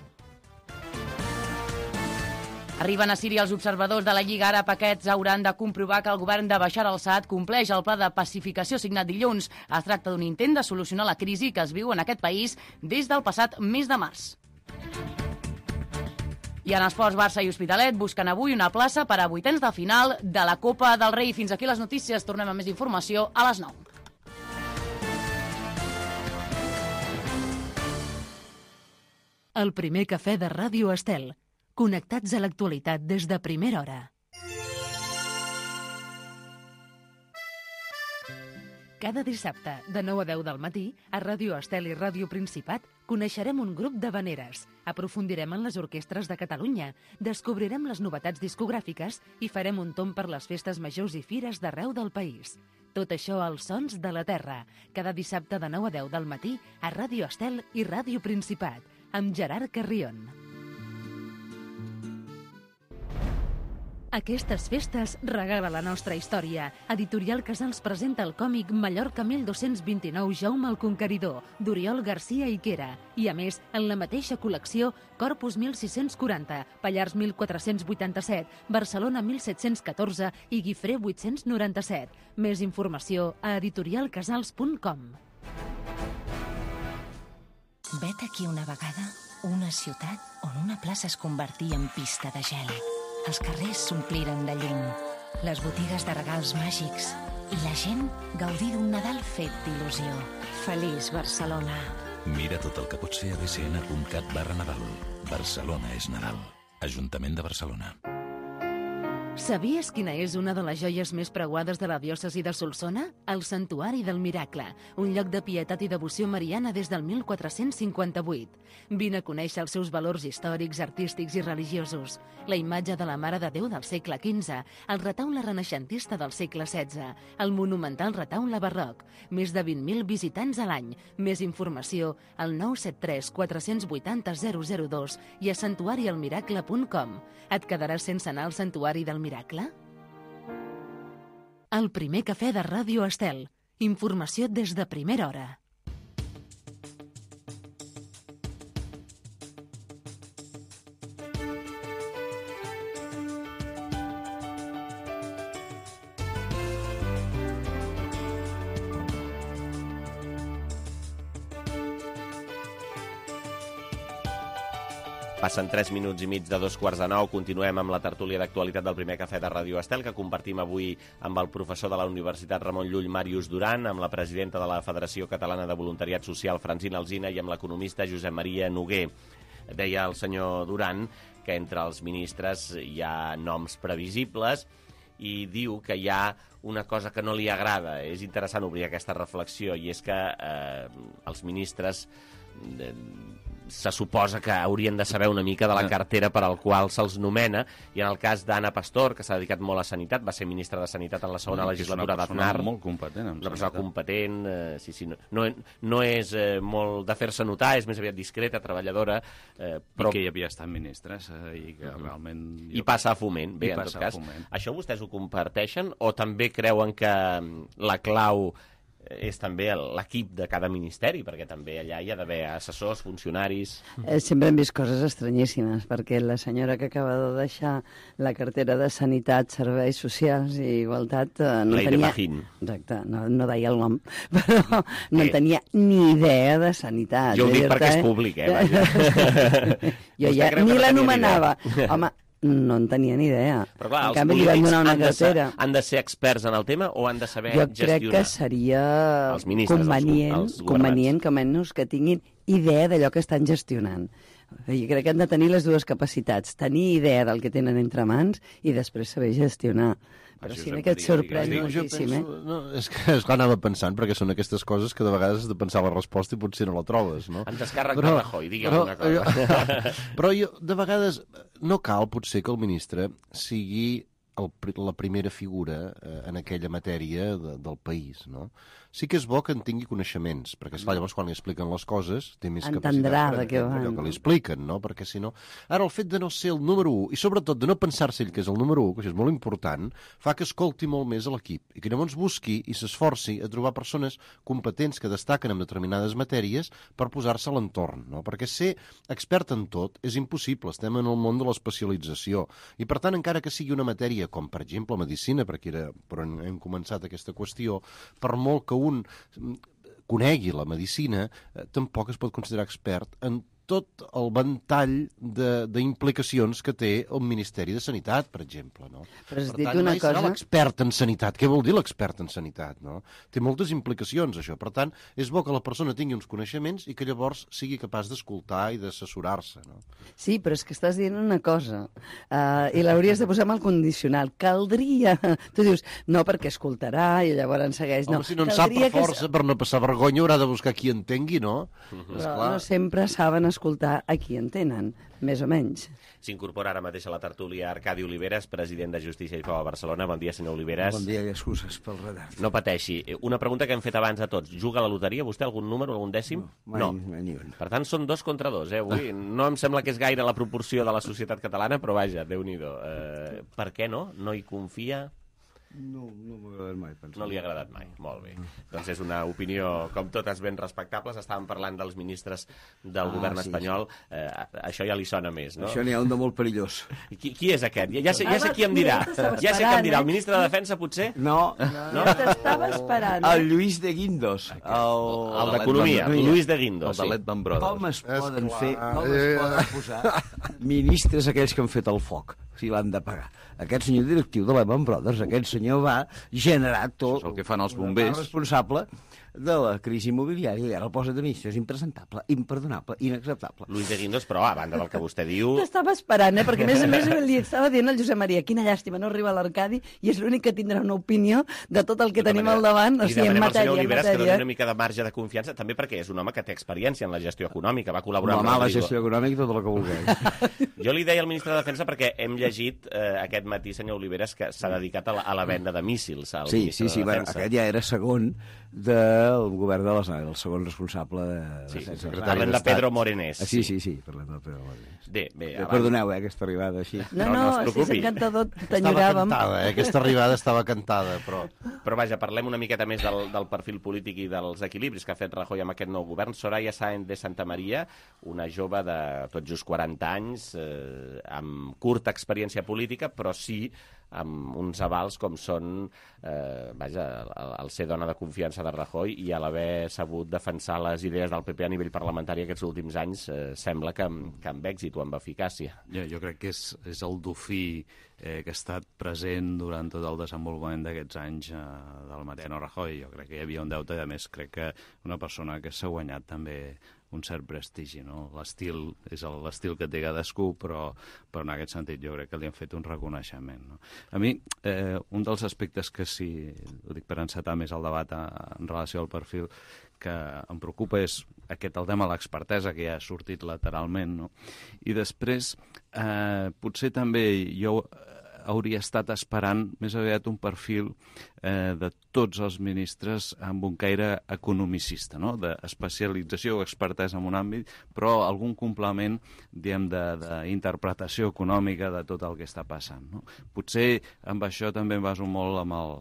Arriben a Síria els observadors de la Lliga Àrab. Aquests hauran de comprovar que el govern de Bashar al-Assad compleix el pla de pacificació signat dilluns. Es tracta d'un intent de solucionar la crisi que es viu en aquest país des del passat mes de març. I en esports, Barça i Hospitalet busquen avui una plaça per a vuitens de final de la Copa del Rei. Fins aquí les notícies. Tornem amb més informació a les nou. El primer cafè de Ràdio Estel. Connectats a l'actualitat des de primera hora. Cada dissabte, de nou a deu del matí, a Ràdio Estel i Ràdio Principat, coneixerem un grup d'havaneres, aprofundirem en les orquestres de Catalunya, descobrirem les novetats discogràfiques i farem un tomb per les festes majors i fires d'arreu del país. Tot això als Sons de la Terra, cada dissabte de nou a deu del matí, a Ràdio Estel i Ràdio Principat, amb Gerard Carrion. Aquestes festes regala la nostra història. Editorial Casals presenta el còmic Mallorca mil dos-cents vint-i-nou Jaume el Conqueridor, d'Oriol Garcia Iquera. I a més, en la mateixa col·lecció, Corpus mil sis-cents quaranta, Pallars mil quatre-cents vuitanta-set, Barcelona mil set-cents catorze i Guifré vuit-cents noranta-set. Més informació a editorial casals punt com. Vet aquí una vegada una ciutat on una plaça es convertia en pista de gel. Els carrers s'ompliren de llum, les botigues de regals màgics i la gent gaudir d'un Nadal fet d'il·lusió. Feliç Barcelona. Mira tot el que pots fer a b c n punt cat barra Nadal. Barcelona és Nadal. Ajuntament de Barcelona. Sabies quina és una de les joies més preuades de la diòcesi de Solsona? El Santuari del Miracle, un lloc de pietat i devoció mariana des del mil quatre-cents cinquanta-vuit. Vine a conèixer els seus valors històrics, artístics i religiosos. La imatge de la Mare de Déu del segle quinze, el retaule renaixentista del segle setze, el monumental retaule barroc, més de vint mil visitants a l'any. Més informació al nou set tres quatre vuit zero zero zero dos i a santuari el miracle punt com. Et quedaràs sense anar al Santuari del Miracle? El primer cafè de Ràdio Estel. Informació des de primera hora. Passen tres minuts i mig de dos quarts de nou. Continuem amb la tertúlia d'actualitat del primer cafè de Ràdio Estel, que compartim avui amb el professor de la Universitat Ramon Llull, Màrius Duran, amb la presidenta de la Federació Catalana de Voluntariat Social, Francina Alsina, i amb l'economista Josep Maria Noguer. Deia el senyor Duran que entre els ministres hi ha noms previsibles i diu que hi ha una cosa que no li agrada. És interessant obrir aquesta reflexió, i és que eh, els ministres... Eh, se suposa que haurien de saber una mica de la cartera per al qual se'ls nomena, i en el cas d'Anna Pastor, que s'ha dedicat molt a Sanitat, va ser ministra de Sanitat en la segona Mm, legislatura d'Aznar. És una persona molt competent en Una persona sanitat. competent, eh, sí, sí, no, no, no és eh, molt de fer-se notar, és més aviat discreta, treballadora, eh, però... I que hi havia estat ministres eh, i que realment... I passa a Foment, bé, I en tot passa a cas. Foment. Això vostès ho comparteixen o també creuen que la clau és també l'equip de cada ministeri, perquè també allà hi ha d'haver assessors, funcionaris... Eh, sempre hem vist coses estranyíssimes, perquè la senyora que acaba de deixar la cartera de Sanitat, Serveis Socials i Igualtat eh, no Leire tenia... Pajín. Exacte, no, no deia el nom, però no eh. tenia ni idea de sanitat. Jo ho dic dir-te, perquè és públic, eh? Vaja. Jo ja ni l'anomenava. Home, no en tenia ni idea. Però clar, en els canvi li van polítics donar una han de, ser, cartera. han de ser experts en el tema o han de saber Jo gestionar? crec que seria Els ministres, convenient, els, els convenient que almenys que tinguin idea d'allò que estan gestionant. Jo crec que han de tenir les dues capacitats, tenir idea del que tenen entre mans i després saber gestionar. Però Això sí sempre que et digue, sorprèn digue. Jo moltíssim, penso- eh? No, és que és clar, anava pensant, perquè són aquestes coses que de vegades has de pensar la resposta i potser no la trobes, no? En descàrrec de Rajoy, digui però, alguna cosa. Jo, però jo, de vegades, no cal potser que el ministre sigui el, la primera figura eh, en aquella matèria de, del país, no? Sí que és bo que en tingui coneixements, perquè esclar, llavors quan li expliquen les coses té més Entendrà capacitat per de què entendre van, allò no? que li expliquen, no? Perquè si no... Ara, el fet de no ser el número u, i sobretot de no pensar-se ell que és el número u, que això és molt important, fa que escolti molt més a l'equip i que llavors busqui i s'esforci a trobar persones competents que destaquen en determinades matèries per posar-se a l'entorn, no? Perquè ser expert en tot és impossible, estem en el món de l'especialització i, per tant, encara que sigui una matèria com, per exemple, medicina, perquè era per on hem començat aquesta qüestió, per molt que un conegui la medicina, eh, tampoc es pot considerar expert en tot el ventall d'implicacions que té el Ministeri de Sanitat, per exemple. No? Però has per dit tant, una mai serà cosa- l'expert en sanitat. Què vol dir l'expert en sanitat? No? Té moltes implicacions, això. Per tant, és bo que la persona tingui uns coneixements i que llavors sigui capaç d'escoltar i d'assessorar-se. No? Sí, però és que estàs dient una cosa, uh, i l'hauries de posar amb el condicional. Caldria... Tu dius, no, perquè escoltarà i llavors segueix. Home, No, si no en sap per caldria que força, per no passar vergonya, haurà de buscar qui entengui, no? Però no sempre saben escoltar a qui entenen, més o menys. S'incorpora ara mateix a la tertúlia Arcadi Oliveres, president de Justícia i Pau a Barcelona. Bon dia, senyor Oliveres. Bon dia i excuses pel retard. No pateixi. Una pregunta que hem fet abans a tots. Juga a la loteria vostè algun número, algun dècim? Mai, mai ni un. Per tant, són dos contra dos, eh, avui. No em sembla que és gaire la proporció de la societat catalana, però vaja, Déu-n'hi-do. Eh, per què no? No hi confia? No, no m'ha agradat mai, penso. No li ha agradat mai, molt bé. Doncs és una opinió, com totes, ben respectables. Estàvem parlant dels ministres del Ah, govern sí, espanyol. Eh, això ja li sona més, no? Això n'hi ha un de molt perillós. Qui, qui és aquest? Ja, ja, sé, ja sé qui em dirà. Ja sé qui em dirà. El ministre de Defensa, potser? No. No? T'estava esperant. El Lluís de Guindos. El, El d'Economia, Lluís de Guindos. El de Letman Brothers. Com es poden Esclar. fer, com es poden posar ministres aquells que han fet el foc, si l'han de pagar. Aquest senyor directiu de Lehman Brothers, aquest senyor va generar tot... Això és el que fan els bombers. El responsable de la crisi immobiliària i ara el posa de ministre. És impresentable, imperdonable, inacceptable. Luis de Guindos, però a banda del que vostè diu... T'estava esperant, eh? Perquè a més a més li estava dient al Josep Maria, quina llàstima, no arriba a l'Arcadi i és l'únic que tindrà una opinió de tot el que De tota tenim manera, al davant, o li sigui, en demanem al senyor matèria, en Oliveres que doni matèria. una mica de marge de confiança, també perquè és un home que té experiència en la gestió econòmica, va col·laborar La amb mala Rodrigo. gestió econòmica, tot el que vulgueu. Jo li deia al ministre de Defensa perquè hem llegit eh, aquest matí, senyor Oliveres, que s'ha dedicat a la, a la venda de míssils al Sí, ministre sí, sí, de bueno, Defensa. aquest ja era segon del govern de les el segon responsable de... Sí, de secretari parlem de Pedro Morenés. Ah, sí, sí, sí, parlem de Pedro Morenés. Bé, bé, Eh, abans- Perdoneu, eh, aquesta arribada així. No, no, No, no es sí, és preocupi. encantador, Estava t'enyoràvem. cantada, eh? Aquesta arribada estava cantada, però... Però vaja, parlem una miqueta més del, del perfil polític i dels equilibris que ha fet Rajoy amb aquest nou govern. Soraya Sáenz de Santamaría, una jove de tot just quaranta anys, eh, amb curta experiència política, però sí amb uns avals com són eh, vaja, el, el ser dona de confiança de Rajoy i a l'haver sabut defensar les idees del P P a nivell parlamentari aquests últims anys, eh, sembla que amb, que amb èxit o amb eficàcia. Jo, jo crec que és, és el dofí eh, que ha estat present durant tot el desenvolupament d'aquests anys eh, del Mariano Rajoy. Jo crec que hi havia un deute i, a més, crec que una persona que s'ha guanyat també un cert prestigi, no? L'estil és el- l'estil que té cadascú, però, però en aquest sentit jo crec que li han fet un reconeixement, no? A mi, eh, un dels aspectes que sí, ho dic per encetar més el debat a, en relació al perfil, que em preocupa és aquest, el tema de l'expertesa, que ja ha sortit lateralment, no? I després, eh, potser també jo hauria estat esperant més aviat un perfil eh, de tots els ministres amb un caire economicista, no? D'especialització o expertesa en un àmbit, però algun complement, diguem, d'interpretació econòmica de tot el que està passant, no? Potser amb això també em baso molt amb el,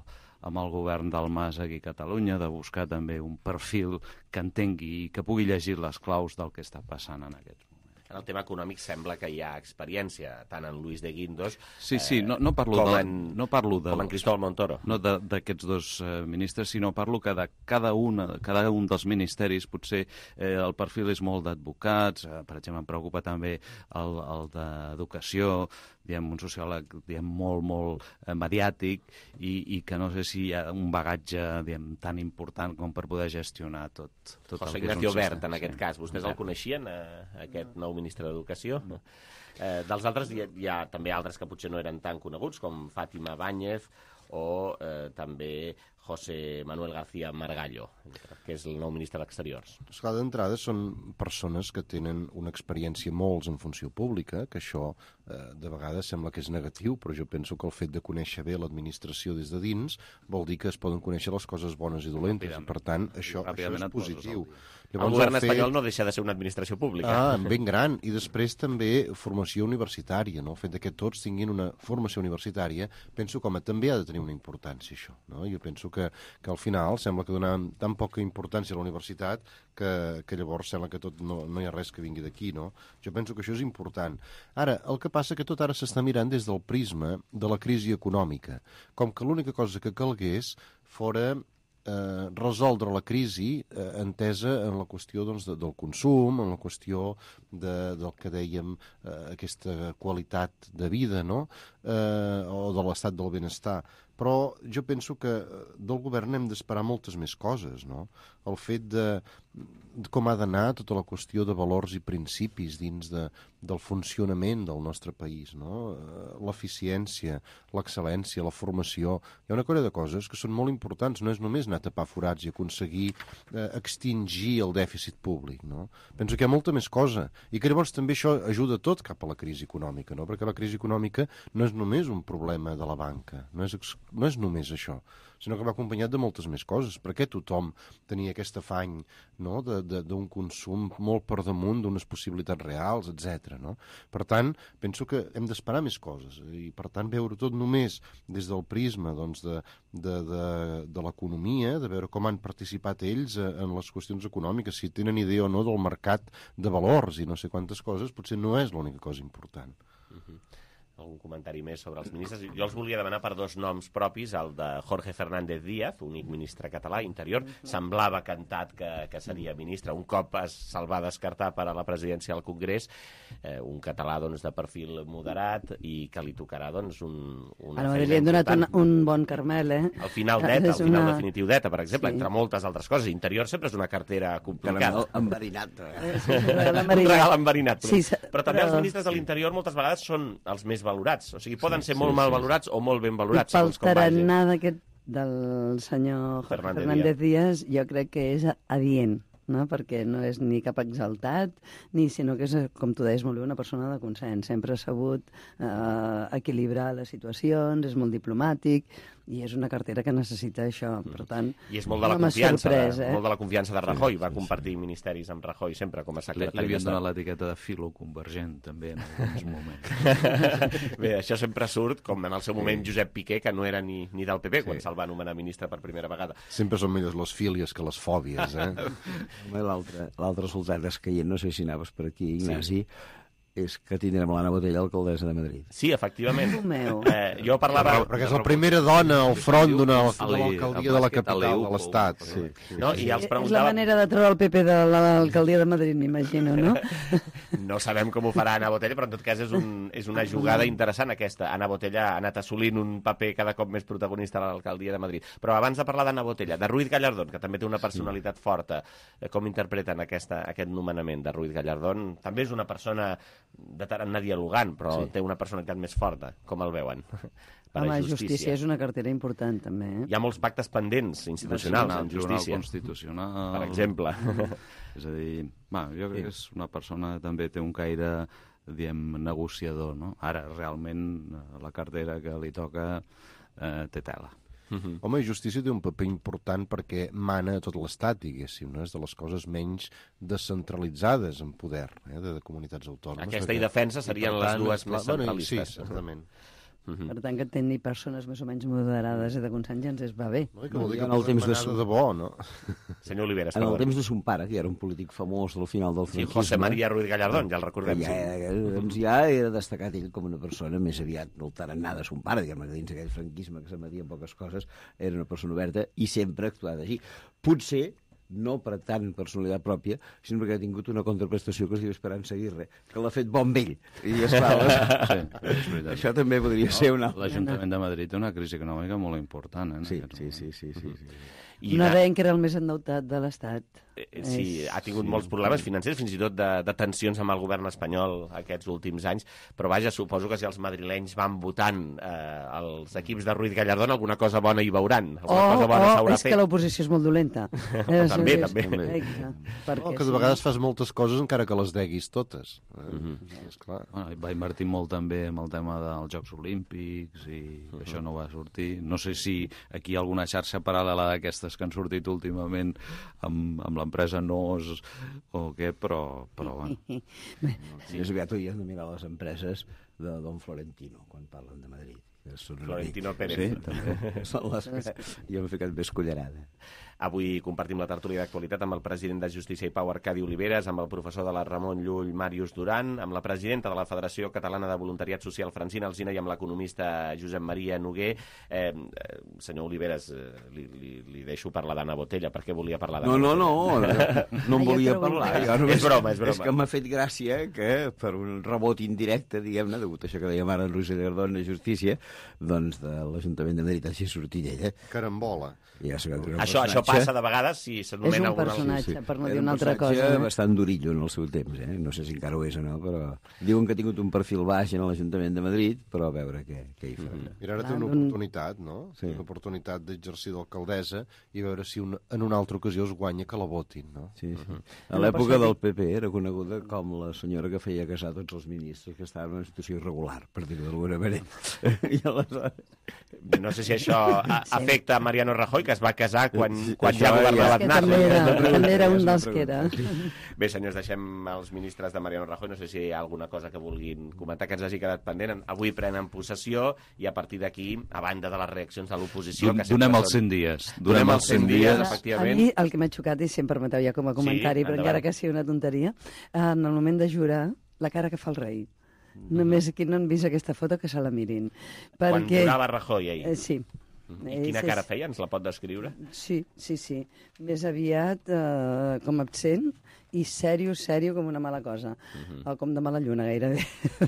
amb el govern del Mas aquí a Catalunya, de buscar també un perfil que entengui i que pugui llegir les claus del que està passant en aquests moments. En el tema econòmic sembla que hi ha experiència, tant en Luis de Guindos sí, sí, no, no parlo com, de, en, no parlo de, com en Cristóbal Montoro. No d'aquests dos eh, ministres, sinó parlo que de cada, una, cada un dels ministeris potser eh, el perfil és molt d'advocats, eh, per exemple em preocupa també el, el d'educació, diguem, un sociòleg diguem, molt, molt eh, mediàtic i, i que no sé si hi ha un bagatge diguem, tan important com per poder gestionar tot, tot José el que és un Ignacio Wert, sistema. en aquest Sí. cas. Vostès el coneixien, eh, aquest nou ministre d'Educació? No. Eh, dels altres hi ha, hi ha també altres que potser no eren tan coneguts, com Fátima Báñez o eh, també José Manuel García Margallo, que és el nou ministre d'Exteriors. Esclar, d'entrada són persones que tenen una experiència molts en funció pública, que això eh, de vegades sembla que és negatiu, però jo penso que el fet de conèixer bé l'administració des de dins vol dir que es poden conèixer les coses bones i dolentes, i per tant això, això és positiu. Llavors, el govern el fet... espanyol no deixa de ser una administració pública. Ah, ben gran. I després també formació universitària, no? El fet que tots tinguin una formació universitària, penso com a també ha de tenir una importància, això, no? Jo penso que, que al final sembla que donem tan poca importància a la universitat que, que llavors sembla que tot no, no hi ha res que vingui d'aquí, no? Jo penso que això és important. Ara, el que passa que tot ara s'està mirant des del prisma de la crisi econòmica, com que l'única cosa que calgués fora Eh, resoldre la crisi eh, entesa en la qüestió doncs, de, del consum, en la qüestió de, del que dèiem, eh, aquesta qualitat de vida, no? eh, o de l'estat del benestar. Però jo penso que del govern hem d'esperar moltes més coses, no? El fet de, de com ha d'anar tota la qüestió de valors i principis dins de, del funcionament del nostre país, no? L'eficiència, l'excel·lència, la formació. Hi ha una colla de coses que són molt importants, no és només anar a tapar forats i aconseguir eh, extingir el dèficit públic, no? Penso que hi ha molta més cosa i que llavors també això ajuda tot cap a la crisi econòmica, no? Perquè la crisi econòmica no és només un problema de la banca, no és, no és només això, sinó que va acompanyat de moltes més coses, perquè tothom tenia aquest afany, no? d'un consum molt per damunt d'unes possibilitats reals, etcètera. No? Per tant, penso que hem d'esperar més coses i per tant veure tot només des del prisma doncs, de, de, de, de l'economia, de veure com han participat ells en les qüestions econòmiques, si tenen idea o no del mercat de valors i no sé quantes coses, potser no és l'única cosa important. Uh-huh. Algun comentari més sobre els ministres? Jo els volia demanar per dos noms propis, el de Jorge Fernández Díaz, únic ministre català, Interior, semblava cantat que, que seria ministre, un cop se'l va descartar per a la presidència del Congrés, eh, un català doncs, de perfil moderat i que li tocarà doncs, un, una Ara, feina li han donat un, important. un bon Carmel, eh? Al final d'ETA, al final una... definitiu d'ETA, per exemple, Sí. entre moltes altres coses. Interior sempre és una cartera complicada. Caramel enverinat. Eh, sí, un regal Un enverinat. regal enverinat. Però, Sí, però també però- els ministres de l'Interior moltes vegades són els més valorats. O sigui, poden Sí, ser sí, molt sí, mal sí. valorats o molt ben I valorats, pel segons com vagi. tarannà d'aquest del senyor Jorge Fernández Fernández Díaz, jo crec que és adient, no? Perquè no és ni cap exaltat, ni sinó que és, com tu deies molt bé, una persona de consens. Sempre ha sabut eh, equilibrar les situacions, és molt diplomàtic, i és una cartera que necessita això. Per tant, I és molt de la no m'ha confiança, sorprès, de, eh? molt de la confiança de Rajoy. Sí, Va sí, compartir ministeris amb Rajoy sempre com a Li, secretari li havien d'Estat. donat l'etiqueta de filo convergent, també, en alguns moments. Bé, això sempre surt, com en el seu moment Josep Piqué, que no era ni, ni del P P, Sí. quan se'l va nomenar ministre per primera vegada. Sempre són millors les fílies que les fòbies, eh? Home, l'altre l'altre soldat escaient, no sé si anaves per aquí, Ignasi, sí. és que tindrem l'Anna Botella, alcaldessa de Madrid. Sí, efectivament. Déu meu. Eh, jo parlava... Perquè és la primera dona al front d'una de l'alcaldia de la capital de l'Estat. Sí, sí. No? I els És la preguntava... manera de treure el P P de l'alcaldia de Madrid, m'imagino, no? No sabem com ho farà Anna Botella, però en tot cas és, un, és una jugada interessant aquesta. Anna Botella ha anat assolint un paper cada cop més protagonista a l'alcaldia de Madrid. Però abans de parlar d'Anna Botella, de Ruiz Gallardón, que també té una personalitat forta, com interpreten aquesta, aquest nomenament de Ruiz Gallardón? També és una persona de tant anar dialogant, però Sí. té una personalitat més forta. Com el veuen? Per Home, a justícia. justícia és una cartera important, també. Eh? Hi ha molts pactes pendents institucionals en Tribunal justícia. Constitucional... Per exemple. És a dir, va, jo crec que és una persona que també té un caire, diem, negociador, no? Ara, realment, la cartera que li toca eh, té tela. Uh-huh. Home, justícia té un paper important perquè mana a tot l'Estat, diguéssim, no? És de les coses menys descentralitzades en poder, eh, de, de comunitats autònomes. Aquesta perquè... i defensa serien I, per les dues clar, més centralistes. Bueno, sí, certament. Uh-huh. Per tant, que tenir persones més o menys moderades i de consens ja ens es va bé. No, que vol dir que en el temps de, de debò, no? Senyor Oliveres, en el perdó. temps de son pare, que era un polític famós del final del Sí, franquisme... José María Ruiz Gallardón, ja el recordem. Ja, Sí. doncs ja era destacat ell com una persona més aviat del tarannà de son pare, diguem-ne, dins aquell franquisme que s'emetia en poques coses, era una persona oberta i sempre ha actuat així. Potser no per tant personalitat pròpia, sinó perquè ha tingut una contraprestació que es diu Esperança Aguirre, que l'ha fet bon vell. I, esclar, Sí, és veritat. això també podria ser una... L'Ajuntament de Madrid té una crisi econòmica molt important. Eh, sí, sí, sí, sí, sí, sí. I No de- deien que era el més endeutat de l'Estat. Eh, Sí, És- ha tingut sí. molts problemes financers, fins i tot de, de tensions amb el govern espanyol aquests últims anys, però vaja, suposo que si els madrilenys van votant eh, els equips de Ruiz Gallardón, alguna cosa bona hi veuran. O, Alguna cosa bona o s'haurà és fet. que l'oposició és molt dolenta. També, també. Exacte. Perquè No, que de si- vegades fas moltes coses encara que les deguis totes. Eh? Mhm. Esclar. Bueno, va invertir molt també amb el tema dels Jocs Olímpics i uh -huh. això no va sortir. No sé si aquí hi ha alguna xarxa paral·lela d'aquestes que han sortit últimament amb, amb l'empresa Nos o què, però, però bueno. Sí, és aviat hauries de mirar les empreses de Don Florentino, quan parlen de Madrid. Que són una Florentino mica- Pérez. Sí, també. Són les que jo m'he ficat més cullerada. Avui compartim la tertúlia d'actualitat amb el president de Justícia i Pau, Arcadi Oliveres, amb el professor de la Ramon Llull, Màrius Duran, amb la presidenta de la Federació Catalana de Voluntariat Social, Francina Alsina, i amb l'economista Josep Maria Noguer. Eh, eh, senyor Oliveres, eh, li, li, li deixo parlar d'Anna Botella. Per què volia parlar d'Anna No, no, no, Botella? no, no em volia parlar. Jo només, És broma, és broma. És que m'ha fet gràcia que, per un rebot indirecte, diguem-ne, degut a això que dèiem ara en Ruiz Gallardón de Justícia, doncs de l'Ajuntament de Madrid hagi sortit ella. Carambola. Ja sé que un Això, això passa de vegades si És s'anomena un alguna... personatge, per no Era dir un una altra personatge cosa. No? bastant durillo en el seu temps, eh? No sé si encara ho és o no, però... Diuen que ha tingut un perfil baix en l'Ajuntament de Madrid, però a veure què, què hi farà. Mm -hmm. I ara té Ah, una un- oportunitat, no? Sí. Una oportunitat d'exercir d'alcaldessa i veure si una, en una altra ocasió es guanya que la votin, no? Sí, sí. Uh -huh. A l'època del P P era coneguda com la senyora que feia casar tots els ministres que estaven en una situació irregular, per dir-ho d'alguna manera. I aleshores... No sé si això a- afecta a Mariano Rajoy, que es va casar quan, Sí, quan això ja governava ja- Aznar. Que també era, també era un dels que era. Bé, senyors, deixem els ministres de Mariano Rajoy. No sé si hi ha alguna cosa que vulguin comentar que ens hagi quedat pendent. Avui prenen possessió i a partir d'aquí, a banda de les reaccions de l'oposició... que sempre Donem els són- cent dies. Donem els cent dies, A efectivament. mi el que m'ha xocat, i si em permeteu ja com a comentari, Sí, però endavant. encara que sigui una tonteria, en el moment de jurar, la cara que fa el rei. Només aquí no han vist aquesta foto que se la mirin. Quan Perquè... jurava Rajoy ahir. Eh, sí. I quina És- cara és- feia? Ens la pot descriure? Sí, sí, sí. Més aviat eh, com absent i sèrio, sèrio com una mala cosa. Mhm. O com de mala lluna, gairebé.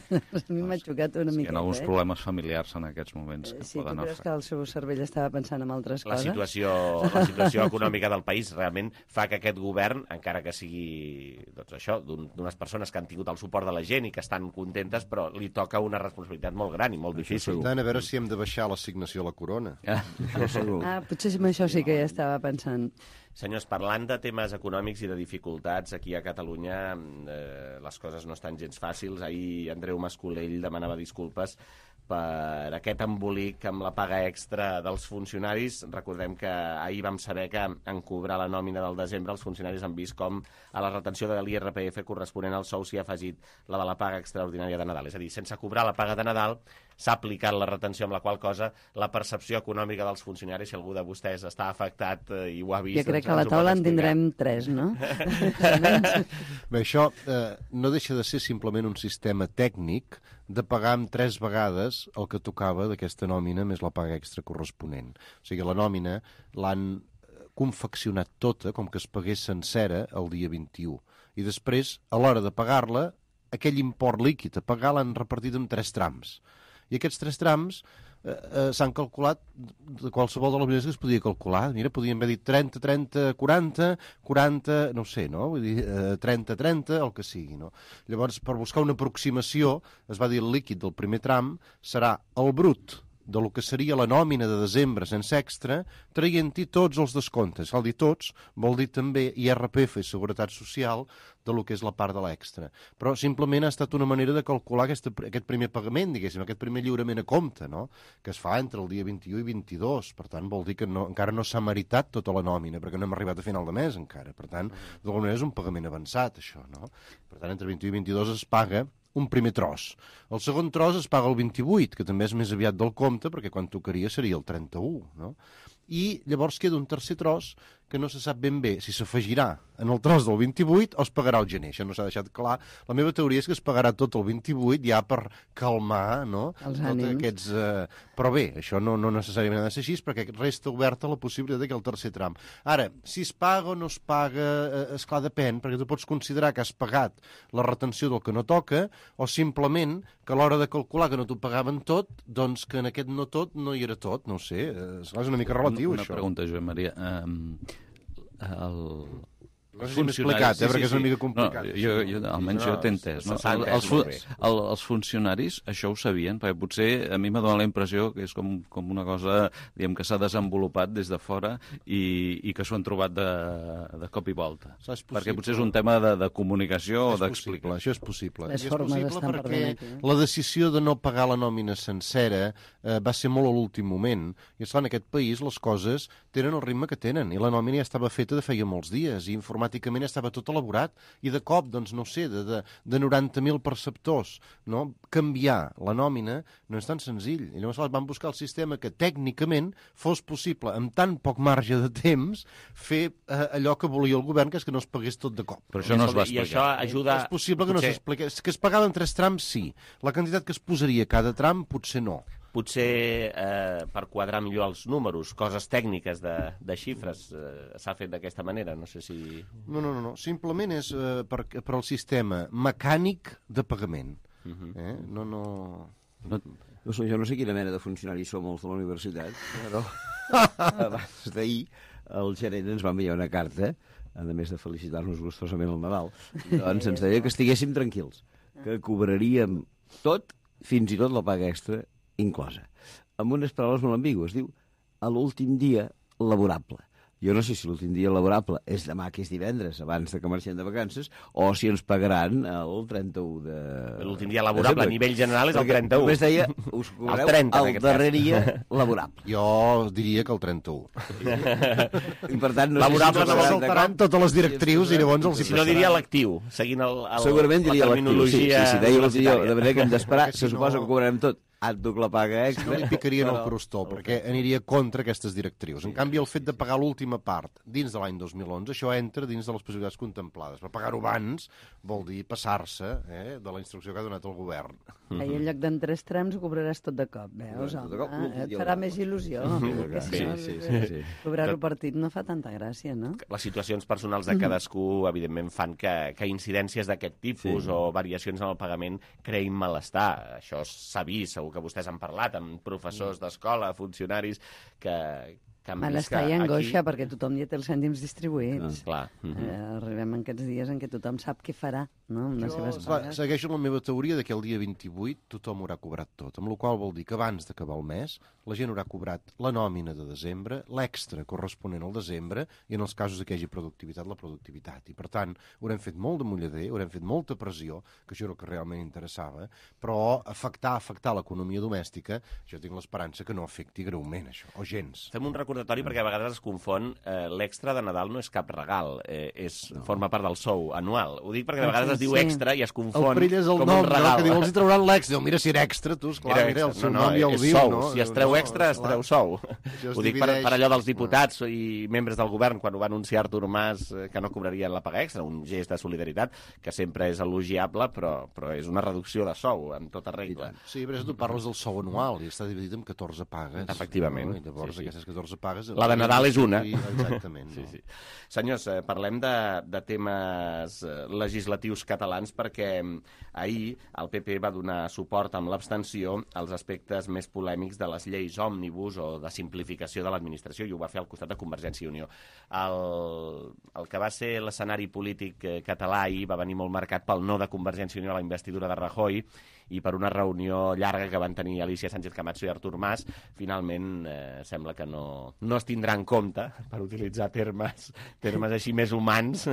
a mi m'ha xocat una Hi miqueta. ha alguns eh? problemes familiars en aquests moments que Sí, tu poden creus afectar. que el seu cervell estava pensant en altres La coses? situació, la situació econòmica del país realment fa que aquest govern, encara que sigui doncs això, d'un- d'unes persones que han tingut el suport de la gent i que estan contentes, però li toca una responsabilitat molt gran i molt difícil. Per tant, a veure si hem de baixar l'assignació a la corona. Ah. Ah, potser amb això sí que ja estava pensant. Senyors, parlant de temes econòmics i de dificultats, aquí a Catalunya eh, les coses no estan gens fàcils. Ahir Andreu Mascolell demanava disculpes per aquest embolic amb la paga extra dels funcionaris. Recordem que ahir vam saber que en cobrar la nòmina del desembre els funcionaris han vist com a la retenció de l'I R P F corresponent al sou s'hi ha afegit la de la paga extraordinària de Nadal. És a dir, sense cobrar la paga de Nadal s'ha aplicat la retenció, amb la qual cosa la percepció econòmica dels funcionaris, si algú de vostès està afectat eh, i ho ha vist... Jo crec doncs que a la ens ho pot taula en explicar. tindrem tres, no? Bé, això eh, no deixa de ser simplement un sistema tècnic de pagar amb tres vegades el que tocava d'aquesta nòmina més la paga extra corresponent. O sigui, la nòmina l'han confeccionat tota com que es pagués sencera el dia vint-i-u. I després, a l'hora de pagar-la, aquell import líquid a pagar l'han repartit en tres trams. I aquests tres trams eh, eh, s'han calculat de qualsevol de les maneres que es podia calcular. Mira, podíem haver dit trenta, trenta, quaranta, quaranta, no ho sé, no? Vull dir, eh, trenta, trenta, el que sigui, no? Llavors, per buscar una aproximació, es va dir el líquid del primer tram serà el brut de lo que seria la nòmina de desembre sense extra, traient-hi tots els descomptes. Cal dir tots, vol dir també I R P F i Seguretat Social de lo que és la part de l'extra. Però simplement ha estat una manera de calcular aquesta, aquest primer pagament, diguéssim, aquest primer lliurament a compte, no? Que es fa entre el dia vint-i-u i vint-i-dos. Per tant, vol dir que no, encara no s'ha meritat tota la nòmina, perquè no hem arribat a final de mes encara. Per tant, d'alguna manera és un pagament avançat, això, no? Per tant, entre vint-i-u i vint-i-dos es paga un primer tros. El segon tros es paga el vint-i-vuit, que també és més aviat del compte, perquè quan tocaria seria el trenta-u, no? I llavors queda un tercer tros que no se sap ben bé si s'afegirà en el tros del vint-i-vuit o es pagarà el gener. Això no s'ha deixat clar. La meva teoria és que es pagarà tot el vint-i-vuit ja per calmar, no? Els ànims. Aquests, eh... Però bé, això no, no necessàriament ha de ser així perquè resta oberta la possibilitat que el tercer tram. Ara, si es paga o no es paga, eh, esclar, depèn, perquè tu pots considerar que has pagat la retenció del que no toca o simplement que a l'hora de calcular que no t'ho pagaven tot, doncs que en aquest no tot no hi era tot, no ho sé. És una mica relatiu, una, una això. Una pregunta, Joan Maria. Um, el... No sé si m'he explicat, eh, perquè és una mica complicat. No, jo, jo, almenys jo t'he entès. No? s'ha entès Els, fu molt bé. el, els funcionaris això ho sabien, perquè potser a mi m'ha donat la impressió que és com, com una cosa diguem, que s'ha desenvolupat des de fora i, i que s'ho han trobat de, de cop i volta. Perquè potser és un tema de, de comunicació o d'explicació. Això és possible. Les I és formes possible estan perquè perdent aquí, eh? la decisió de no pagar la nòmina sencera eh, va ser molt a l'últim moment. I esclar, en aquest país les coses tenen el ritme que tenen i la nòmina ja estava feta de feia molts dies i informàticament ja estava tot elaborat i de cop, doncs no sé, de, de, de noranta mil perceptors, no? Canviar la nòmina no és tan senzill. I llavors van buscar el sistema que tècnicament fos possible, amb tan poc marge de temps, fer eh, allò que volia el govern, que és que no es pagués tot de cop. Però això no es va I explicar. això ajuda... És possible que no s'expliqués. Que es pagaven tres trams, sí. La quantitat que es posaria a cada tram, potser no. Potser eh, per quadrar millor els números, coses tècniques de, de xifres, eh, s'ha fet d'aquesta manera, no sé si... No, no, no, no. Simplement és eh, per, per al sistema mecànic de pagament. Uh -huh. eh? No, no... no... No sé, jo no sé quina mena de funcionaris som els de la universitat, però abans d'ahir el gerent ens va enviar una carta, a més de felicitar-nos gustosament el Nadal, doncs ens deia que estiguéssim tranquils, que cobraríem tot, fins i tot la paga extra, inclosa. Amb unes paraules molt ambigües. Diu, a l'últim dia laborable. Jo no sé si l'últim dia laborable és demà, que és divendres, abans de que marxem de vacances, o si ens pagaran el trenta-u de... L'últim dia laborable a nivell general és el trenta-u. Només deia, us cobreu el, trenta, el darrer dia laborable. Jo diria que el trenta-u. I per tant, no laborable sé si no saltaran totes les directrius i llavors els hi si no diria lectiu, seguint el, el, segurament diria la terminologia... Sí, sí, si deia lectiu, de manera que hem d'esperar, se suposa que cobrarem tot. Et duc la paga extra. No li picaria en el crostó, perquè aniria contra aquestes directrius. En canvi, el fet de pagar l'última part dins de l'any dos mil onze, això entra dins de les possibilitats contemplades. Per pagar-ho abans vol dir passar-se eh, de la instrucció que ha donat el govern. I en lloc d'en tres trams ho cobraràs tot de cop, veus, home? Cop, eh, et farà més il·lusió. Que si no, sí, sí, sí. Cobrar-ho partit no fa tanta gràcia, no? Les situacions personals de cadascú, evidentment, fan que, que incidències d'aquest tipus sí. o variacions en el pagament creïn malestar. Això s'ha vist, segur que vostès han parlat amb professors d'escola, funcionaris, que, que han vist que malestar i angoixa, aquí... perquè tothom ja té els cèntims distribuïts. Ah, clar. Uh -huh. eh, arribem en aquests dies en què tothom sap què farà, no?, amb les jo, seves clar, pagues. segueixo la meva teoria de que el dia vint-i-vuit tothom haurà cobrat tot, amb la qual vol dir que abans d'acabar el mes la gent haurà cobrat la nòmina de desembre, l'extra corresponent al desembre, i en els casos que hi hagi productivitat, la productivitat. I, per tant, haurem fet molt de mullader, haurem fet molta pressió, que això era el que realment interessava, però afectar, afectar l'economia domèstica, jo tinc l'esperança que no afecti greument, això, o gens. Fem un recordatori perquè a vegades es confon eh, l'extra de Nadal no és cap regal, eh, és, no. forma part del sou anual. Ho dic perquè de vegades es diu extra i es confon el perill és el com nom, un regal. No? Que diu, els hi trauran l'extra. Diu, mira, si era extra, tu, esclar, era mira, el seu no, no, nom ja el és diu, sou. no? Si es treu extra, es treu sou. Ho dic per, per allò dels diputats i membres del govern, quan ho va anunciar Artur Mas, eh, que no cobrarien la paga extra, un gest de solidaritat, que sempre és elogiable, però, però és una reducció de sou, en tota regla. Sí, però tu parles del sou anual i està dividit en catorze pagues. Efectivament. No? I llavors sí, sí. aquestes catorze pagues... La de Nadal és una. Exactament. Sí, sí. Senyors, eh, parlem de, de temes legislatius catalans perquè ahir el P P va donar suport amb l'abstenció als aspectes més polèmics de les lleis òmnibus o de simplificació de l'administració, i ho va fer al costat de Convergència i Unió. El, el que va ser l'escenari polític català ahir va venir molt marcat pel no de Convergència i Unió a la investidura de Rajoy, i per una reunió llarga que van tenir Alicia Sánchez Camacho i Artur Mas, finalment eh, sembla que no, no es tindrà en compte, per utilitzar termes, termes així més humans,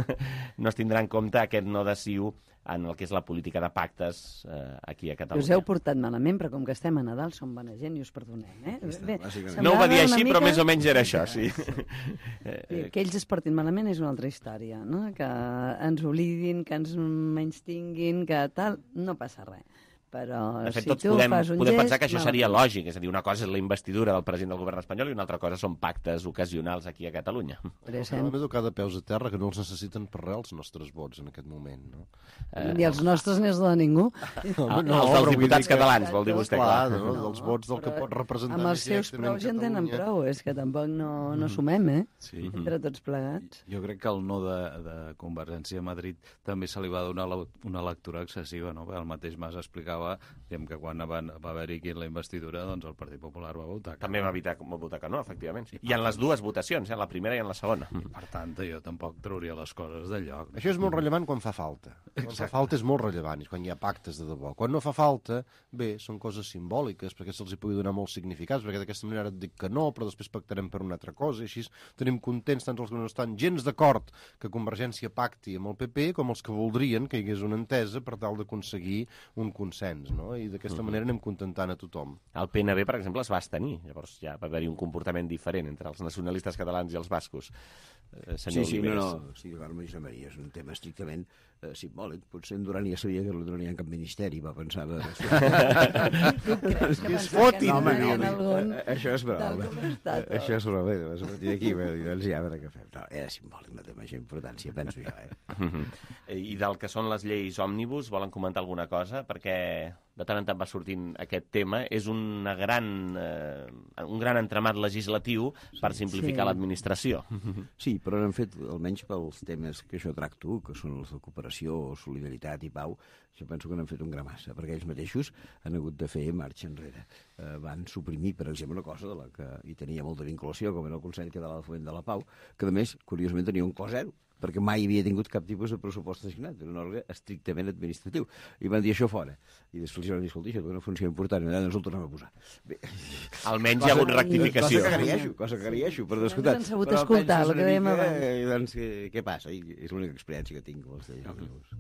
no es tindrà en compte aquest no de CiU en el que és la política de pactes eh, aquí a Catalunya. Us heu portat malament, però com que estem a Nadal som bona gent i us perdonem, eh? Bé, no ho va dir així, mica... però més o menys era això, sí. sí. Que ells es portin malament és una altra història, no? Que ens oblidin, que ens menystinguin, que tal, no passa res. Però de fet, si tots tu podem, fas un podem gest, pensar que això malament. seria lògic, és a dir, una cosa és la investidura del president del govern espanyol i una altra cosa són pactes ocasionals aquí a Catalunya. Hem d'educar de peus a terra, que no els necessiten per res els nostres vots en aquest moment, no? Eh, I els nostres n'és de ningú. No, no, els dels diputats catalans, vol dir vostè, clar. clar no, dels vots del que pot representar amb els seus prou ja en tenen prou, és que tampoc no, no sumem, eh? Sí. Entre tots plegats. Jo crec que el no de, de Convergència a Madrid també se li va donar la, una lectura excessiva, no? El mateix Mas explicava diguem, que quan va, va haver-hi aquí la investidura, doncs el Partit Popular va votar. També va, evitar, va votar que no, efectivament. Sí. I en les dues votacions, eh? La primera i en la segona. Per tant, jo tampoc trauria les coses del lloc. Això és molt rellevant quan fa falta. Quan Exacte. fa falta és molt rellevant, quan hi ha pactes de debò. Quan no fa falta, bé, són coses simbòliques, perquè se'ls hi pugui donar molts significats, perquè d'aquesta manera et dic que no, però després pactarem per una altra cosa, i així tenim contents tant els que no estan gens d'acord que Convergència pacti amb el P P, com els que voldrien que hi hagués una entesa per tal d'aconseguir un consens, no? I d'aquesta uh-huh. manera anem contentant a tothom. El P N B, per exemple, es va abstenir. Llavors ja va haver-hi un comportament diferent entre els nacionalistes catalans i els bascos. Eh, sí, sí, no, no. Sí, Josep Maria, és un tema estrictament eh, simbòlic. Potser en Duran ja sabia que no tenia cap ministeri, va pensar... Es fotin! No, home, no, això és broma. Això és broma. A partir d'aquí, doncs ja, a veure què fem. No, era simbòlic, no té major importància, penso jo. Eh? I del que són les lleis òmnibus, volen comentar alguna cosa? Perquè de tant en tant va sortint aquest tema. És una gran, eh, un gran entramat legislatiu per simplificar sí. l'administració. Sí, però han fet, almenys pels temes que jo tracto, que són els de cooperació, solidaritat i pau, jo penso que n'han fet un gra massa, perquè ells mateixos han hagut de fer marxa enrere. Eh, van suprimir, per exemple, una cosa de la que hi tenia molta vinculació, com era el Consell Català del Foment de la Pau, que a més, curiosament, tenia un cost zero, perquè mai havia tingut cap tipus de pressupost assignat, era un òrgan estrictament administratiu. I van dir això fora. I després van dir, escolta, això és una funció important, i ens el tornem a posar. Bé. Almenys cosa, hi ha hagut rectificació. Cosa que agraeixo, cosa que agraeixo, per descomptat. Ens han sabut escoltar, el que dèiem abans. Doncs, què, què passa? I és l'única experiència que tinc amb els lleis.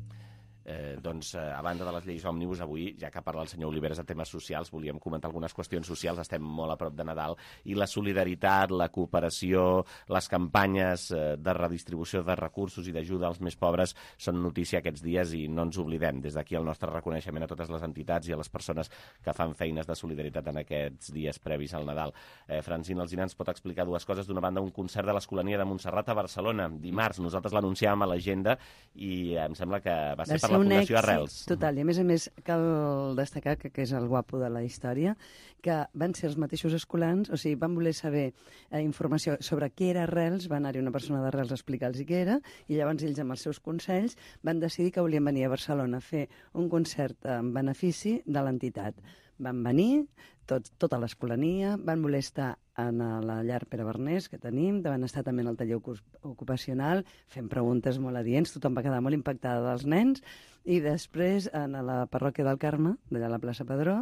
Eh, doncs, eh, a banda de les lleis òmnibus, avui, ja que parla el senyor Oliveres de temes socials, volíem comentar algunes qüestions socials, estem molt a prop de Nadal, i la solidaritat, la cooperació, les campanyes eh, de redistribució de recursos i d'ajuda als més pobres són notícia aquests dies i no ens oblidem. Des d'aquí el nostre reconeixement a totes les entitats i a les persones que fan feines de solidaritat en aquests dies previs al Nadal. Eh, Francina Alsina ens pot explicar dues coses. D'una banda, un concert de l'Escolania de Montserrat a Barcelona, dimarts. Nosaltres l'anunciàvem a l'agenda i em sembla que va ser per la Fundació Arrels. Total, i a més a més cal destacar que, que és el guapo de la història, que van ser els mateixos escolans, o sigui, van voler saber eh, informació sobre què era Arrels, va anar-hi una persona d'Arrels a explicar-los què era, i llavors ells amb els seus consells van decidir que volien venir a Barcelona a fer un concert en benefici de l'entitat. Van venir, tot, tota l'escolania, van voler estar en la llar Pere Bernés, que tenim, van estar també en el taller ocupacional, fent preguntes molt adients, tothom va quedar molt impactada dels nens, i després, en la parròquia del Carme, d'allà a la plaça Padró,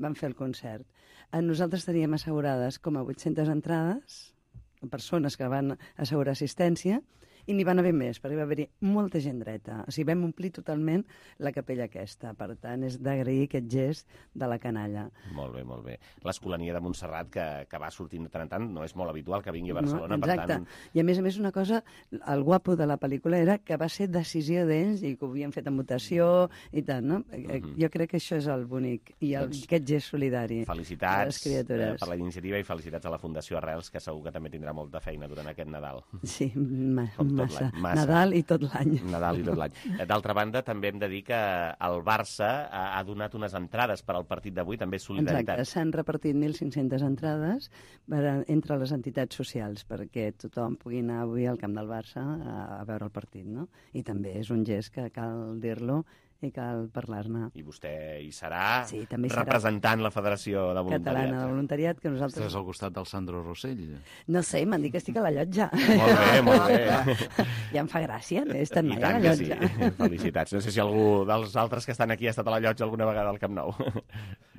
van fer el concert. Nosaltres teníem assegurades com a vuit-centes entrades, persones que van assegurar assistència, i n'hi van haver més, perquè va haver-hi molta gent dreta. O sigui, vam omplir totalment la capella aquesta. Per tant, és d'agrair aquest gest de la canalla. Molt bé, molt bé. L'Escolania de Montserrat, que, que va sortint de tant en tant, no és molt habitual que vingui a Barcelona, no, exacte. Per tant... I a més a més una cosa, el guapo de la pel·lícula era que va ser decisió d'ells i que ho havien fet en votació i tant, no? Uh-huh. Jo crec que això és el bonic i el, doncs, aquest gest solidari. Felicitats eh, per la iniciativa i felicitats a la Fundació Arrels, que segur que també tindrà molta feina durant aquest Nadal. Sí, ma, Massa. l'any. Massa. Nadal i tot l'any. Nadal i tot l'any. D'altra banda, també hem de dir que el Barça ha, ha donat unes entrades per al partit d'avui, també solidaritat. Exacte, s'han repartit mil cinc-centes entrades per, entre les entitats socials perquè tothom pugui anar avui al camp del Barça a, a veure el partit, no? I també és un gest que cal dir-lo i cal parlar-ne. I vostè hi serà, sí, també hi representant serà la Federació de Voluntariat. Catalana de Voluntariat, que nosaltres... Estàs al costat del Sandro Rossell. No sé, m'han dit que estic a la llotja. Molt bé, molt bé. Ja em fa gràcia, no he estat mai I a la llotja. sí. Felicitats. No sé si algú dels altres que estan aquí ha estat a la llotja alguna vegada al Camp Nou.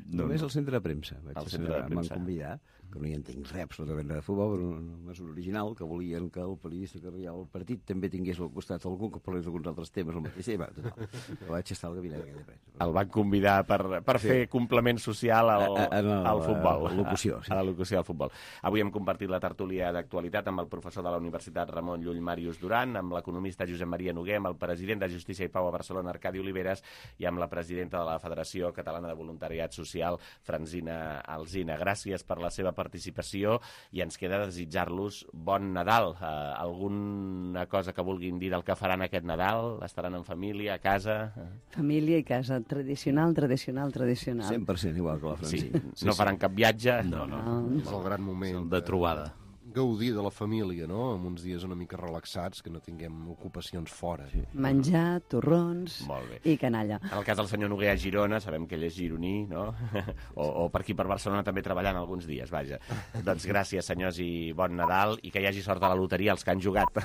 Només al centre de premsa. Vaig al centre de premsa. M'han convidat, que no hi entenc res absolutament de futbol, però una mesura original, que volien que el periodista que arribava al partit també tingués al costat algú que parlés d'alguns altres temes al mateix tema. Total. Vaig estar al gabinet de premsa. El van convidar per, per sí. fer complement social al, a, a, a, al futbol. A, a, locució, sí. a, a la locució al futbol. Avui hem compartit la tertúlia d'actualitat amb el professor de la Universitat Ramon Llull Màrius Duran, amb l'economista Josep Maria Noguer, amb el president de Justícia i Pau a Barcelona, Arcadi Oliveres, i amb la presidenta de la Federació Catalana de Voluntariat Social, Francina Alsina. Gràcies per la seva participació i ens queda desitjar-los bon Nadal. Uh, alguna cosa que vulguin dir del que faran aquest Nadal? Estaran en família, a casa? Família i casa. Tradicional, tradicional, tradicional. cent per cent igual que la Francina. Sí. No faran cap viatge? No, no. no. És el gran moment de trobada. Gaudir de la família, no? En uns dies una mica relaxats, que no tinguem ocupacions fora. Sí. Menjar, torrons i canalla. En el cas del senyor Noguer a Girona, sabem que ell és gironí, no? O, o per aquí per Barcelona també treballant alguns dies, vaja. Doncs gràcies, senyors, i bon Nadal, i que hi hagi sort a la loteria els que han jugat.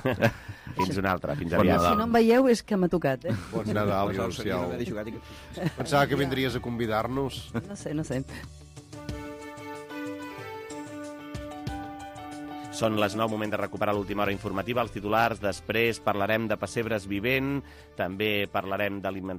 Fins una altra, fins bon aviat. Si no em veieu és que m'ha tocat, eh? Bon Nadal, Marcial. Pensava que vindries a convidar-nos. No sé, no sé. Són les nou, moment de recuperar l'última hora informativa, els titulars. Després parlarem de pessebres vivent, també parlarem d'alimentació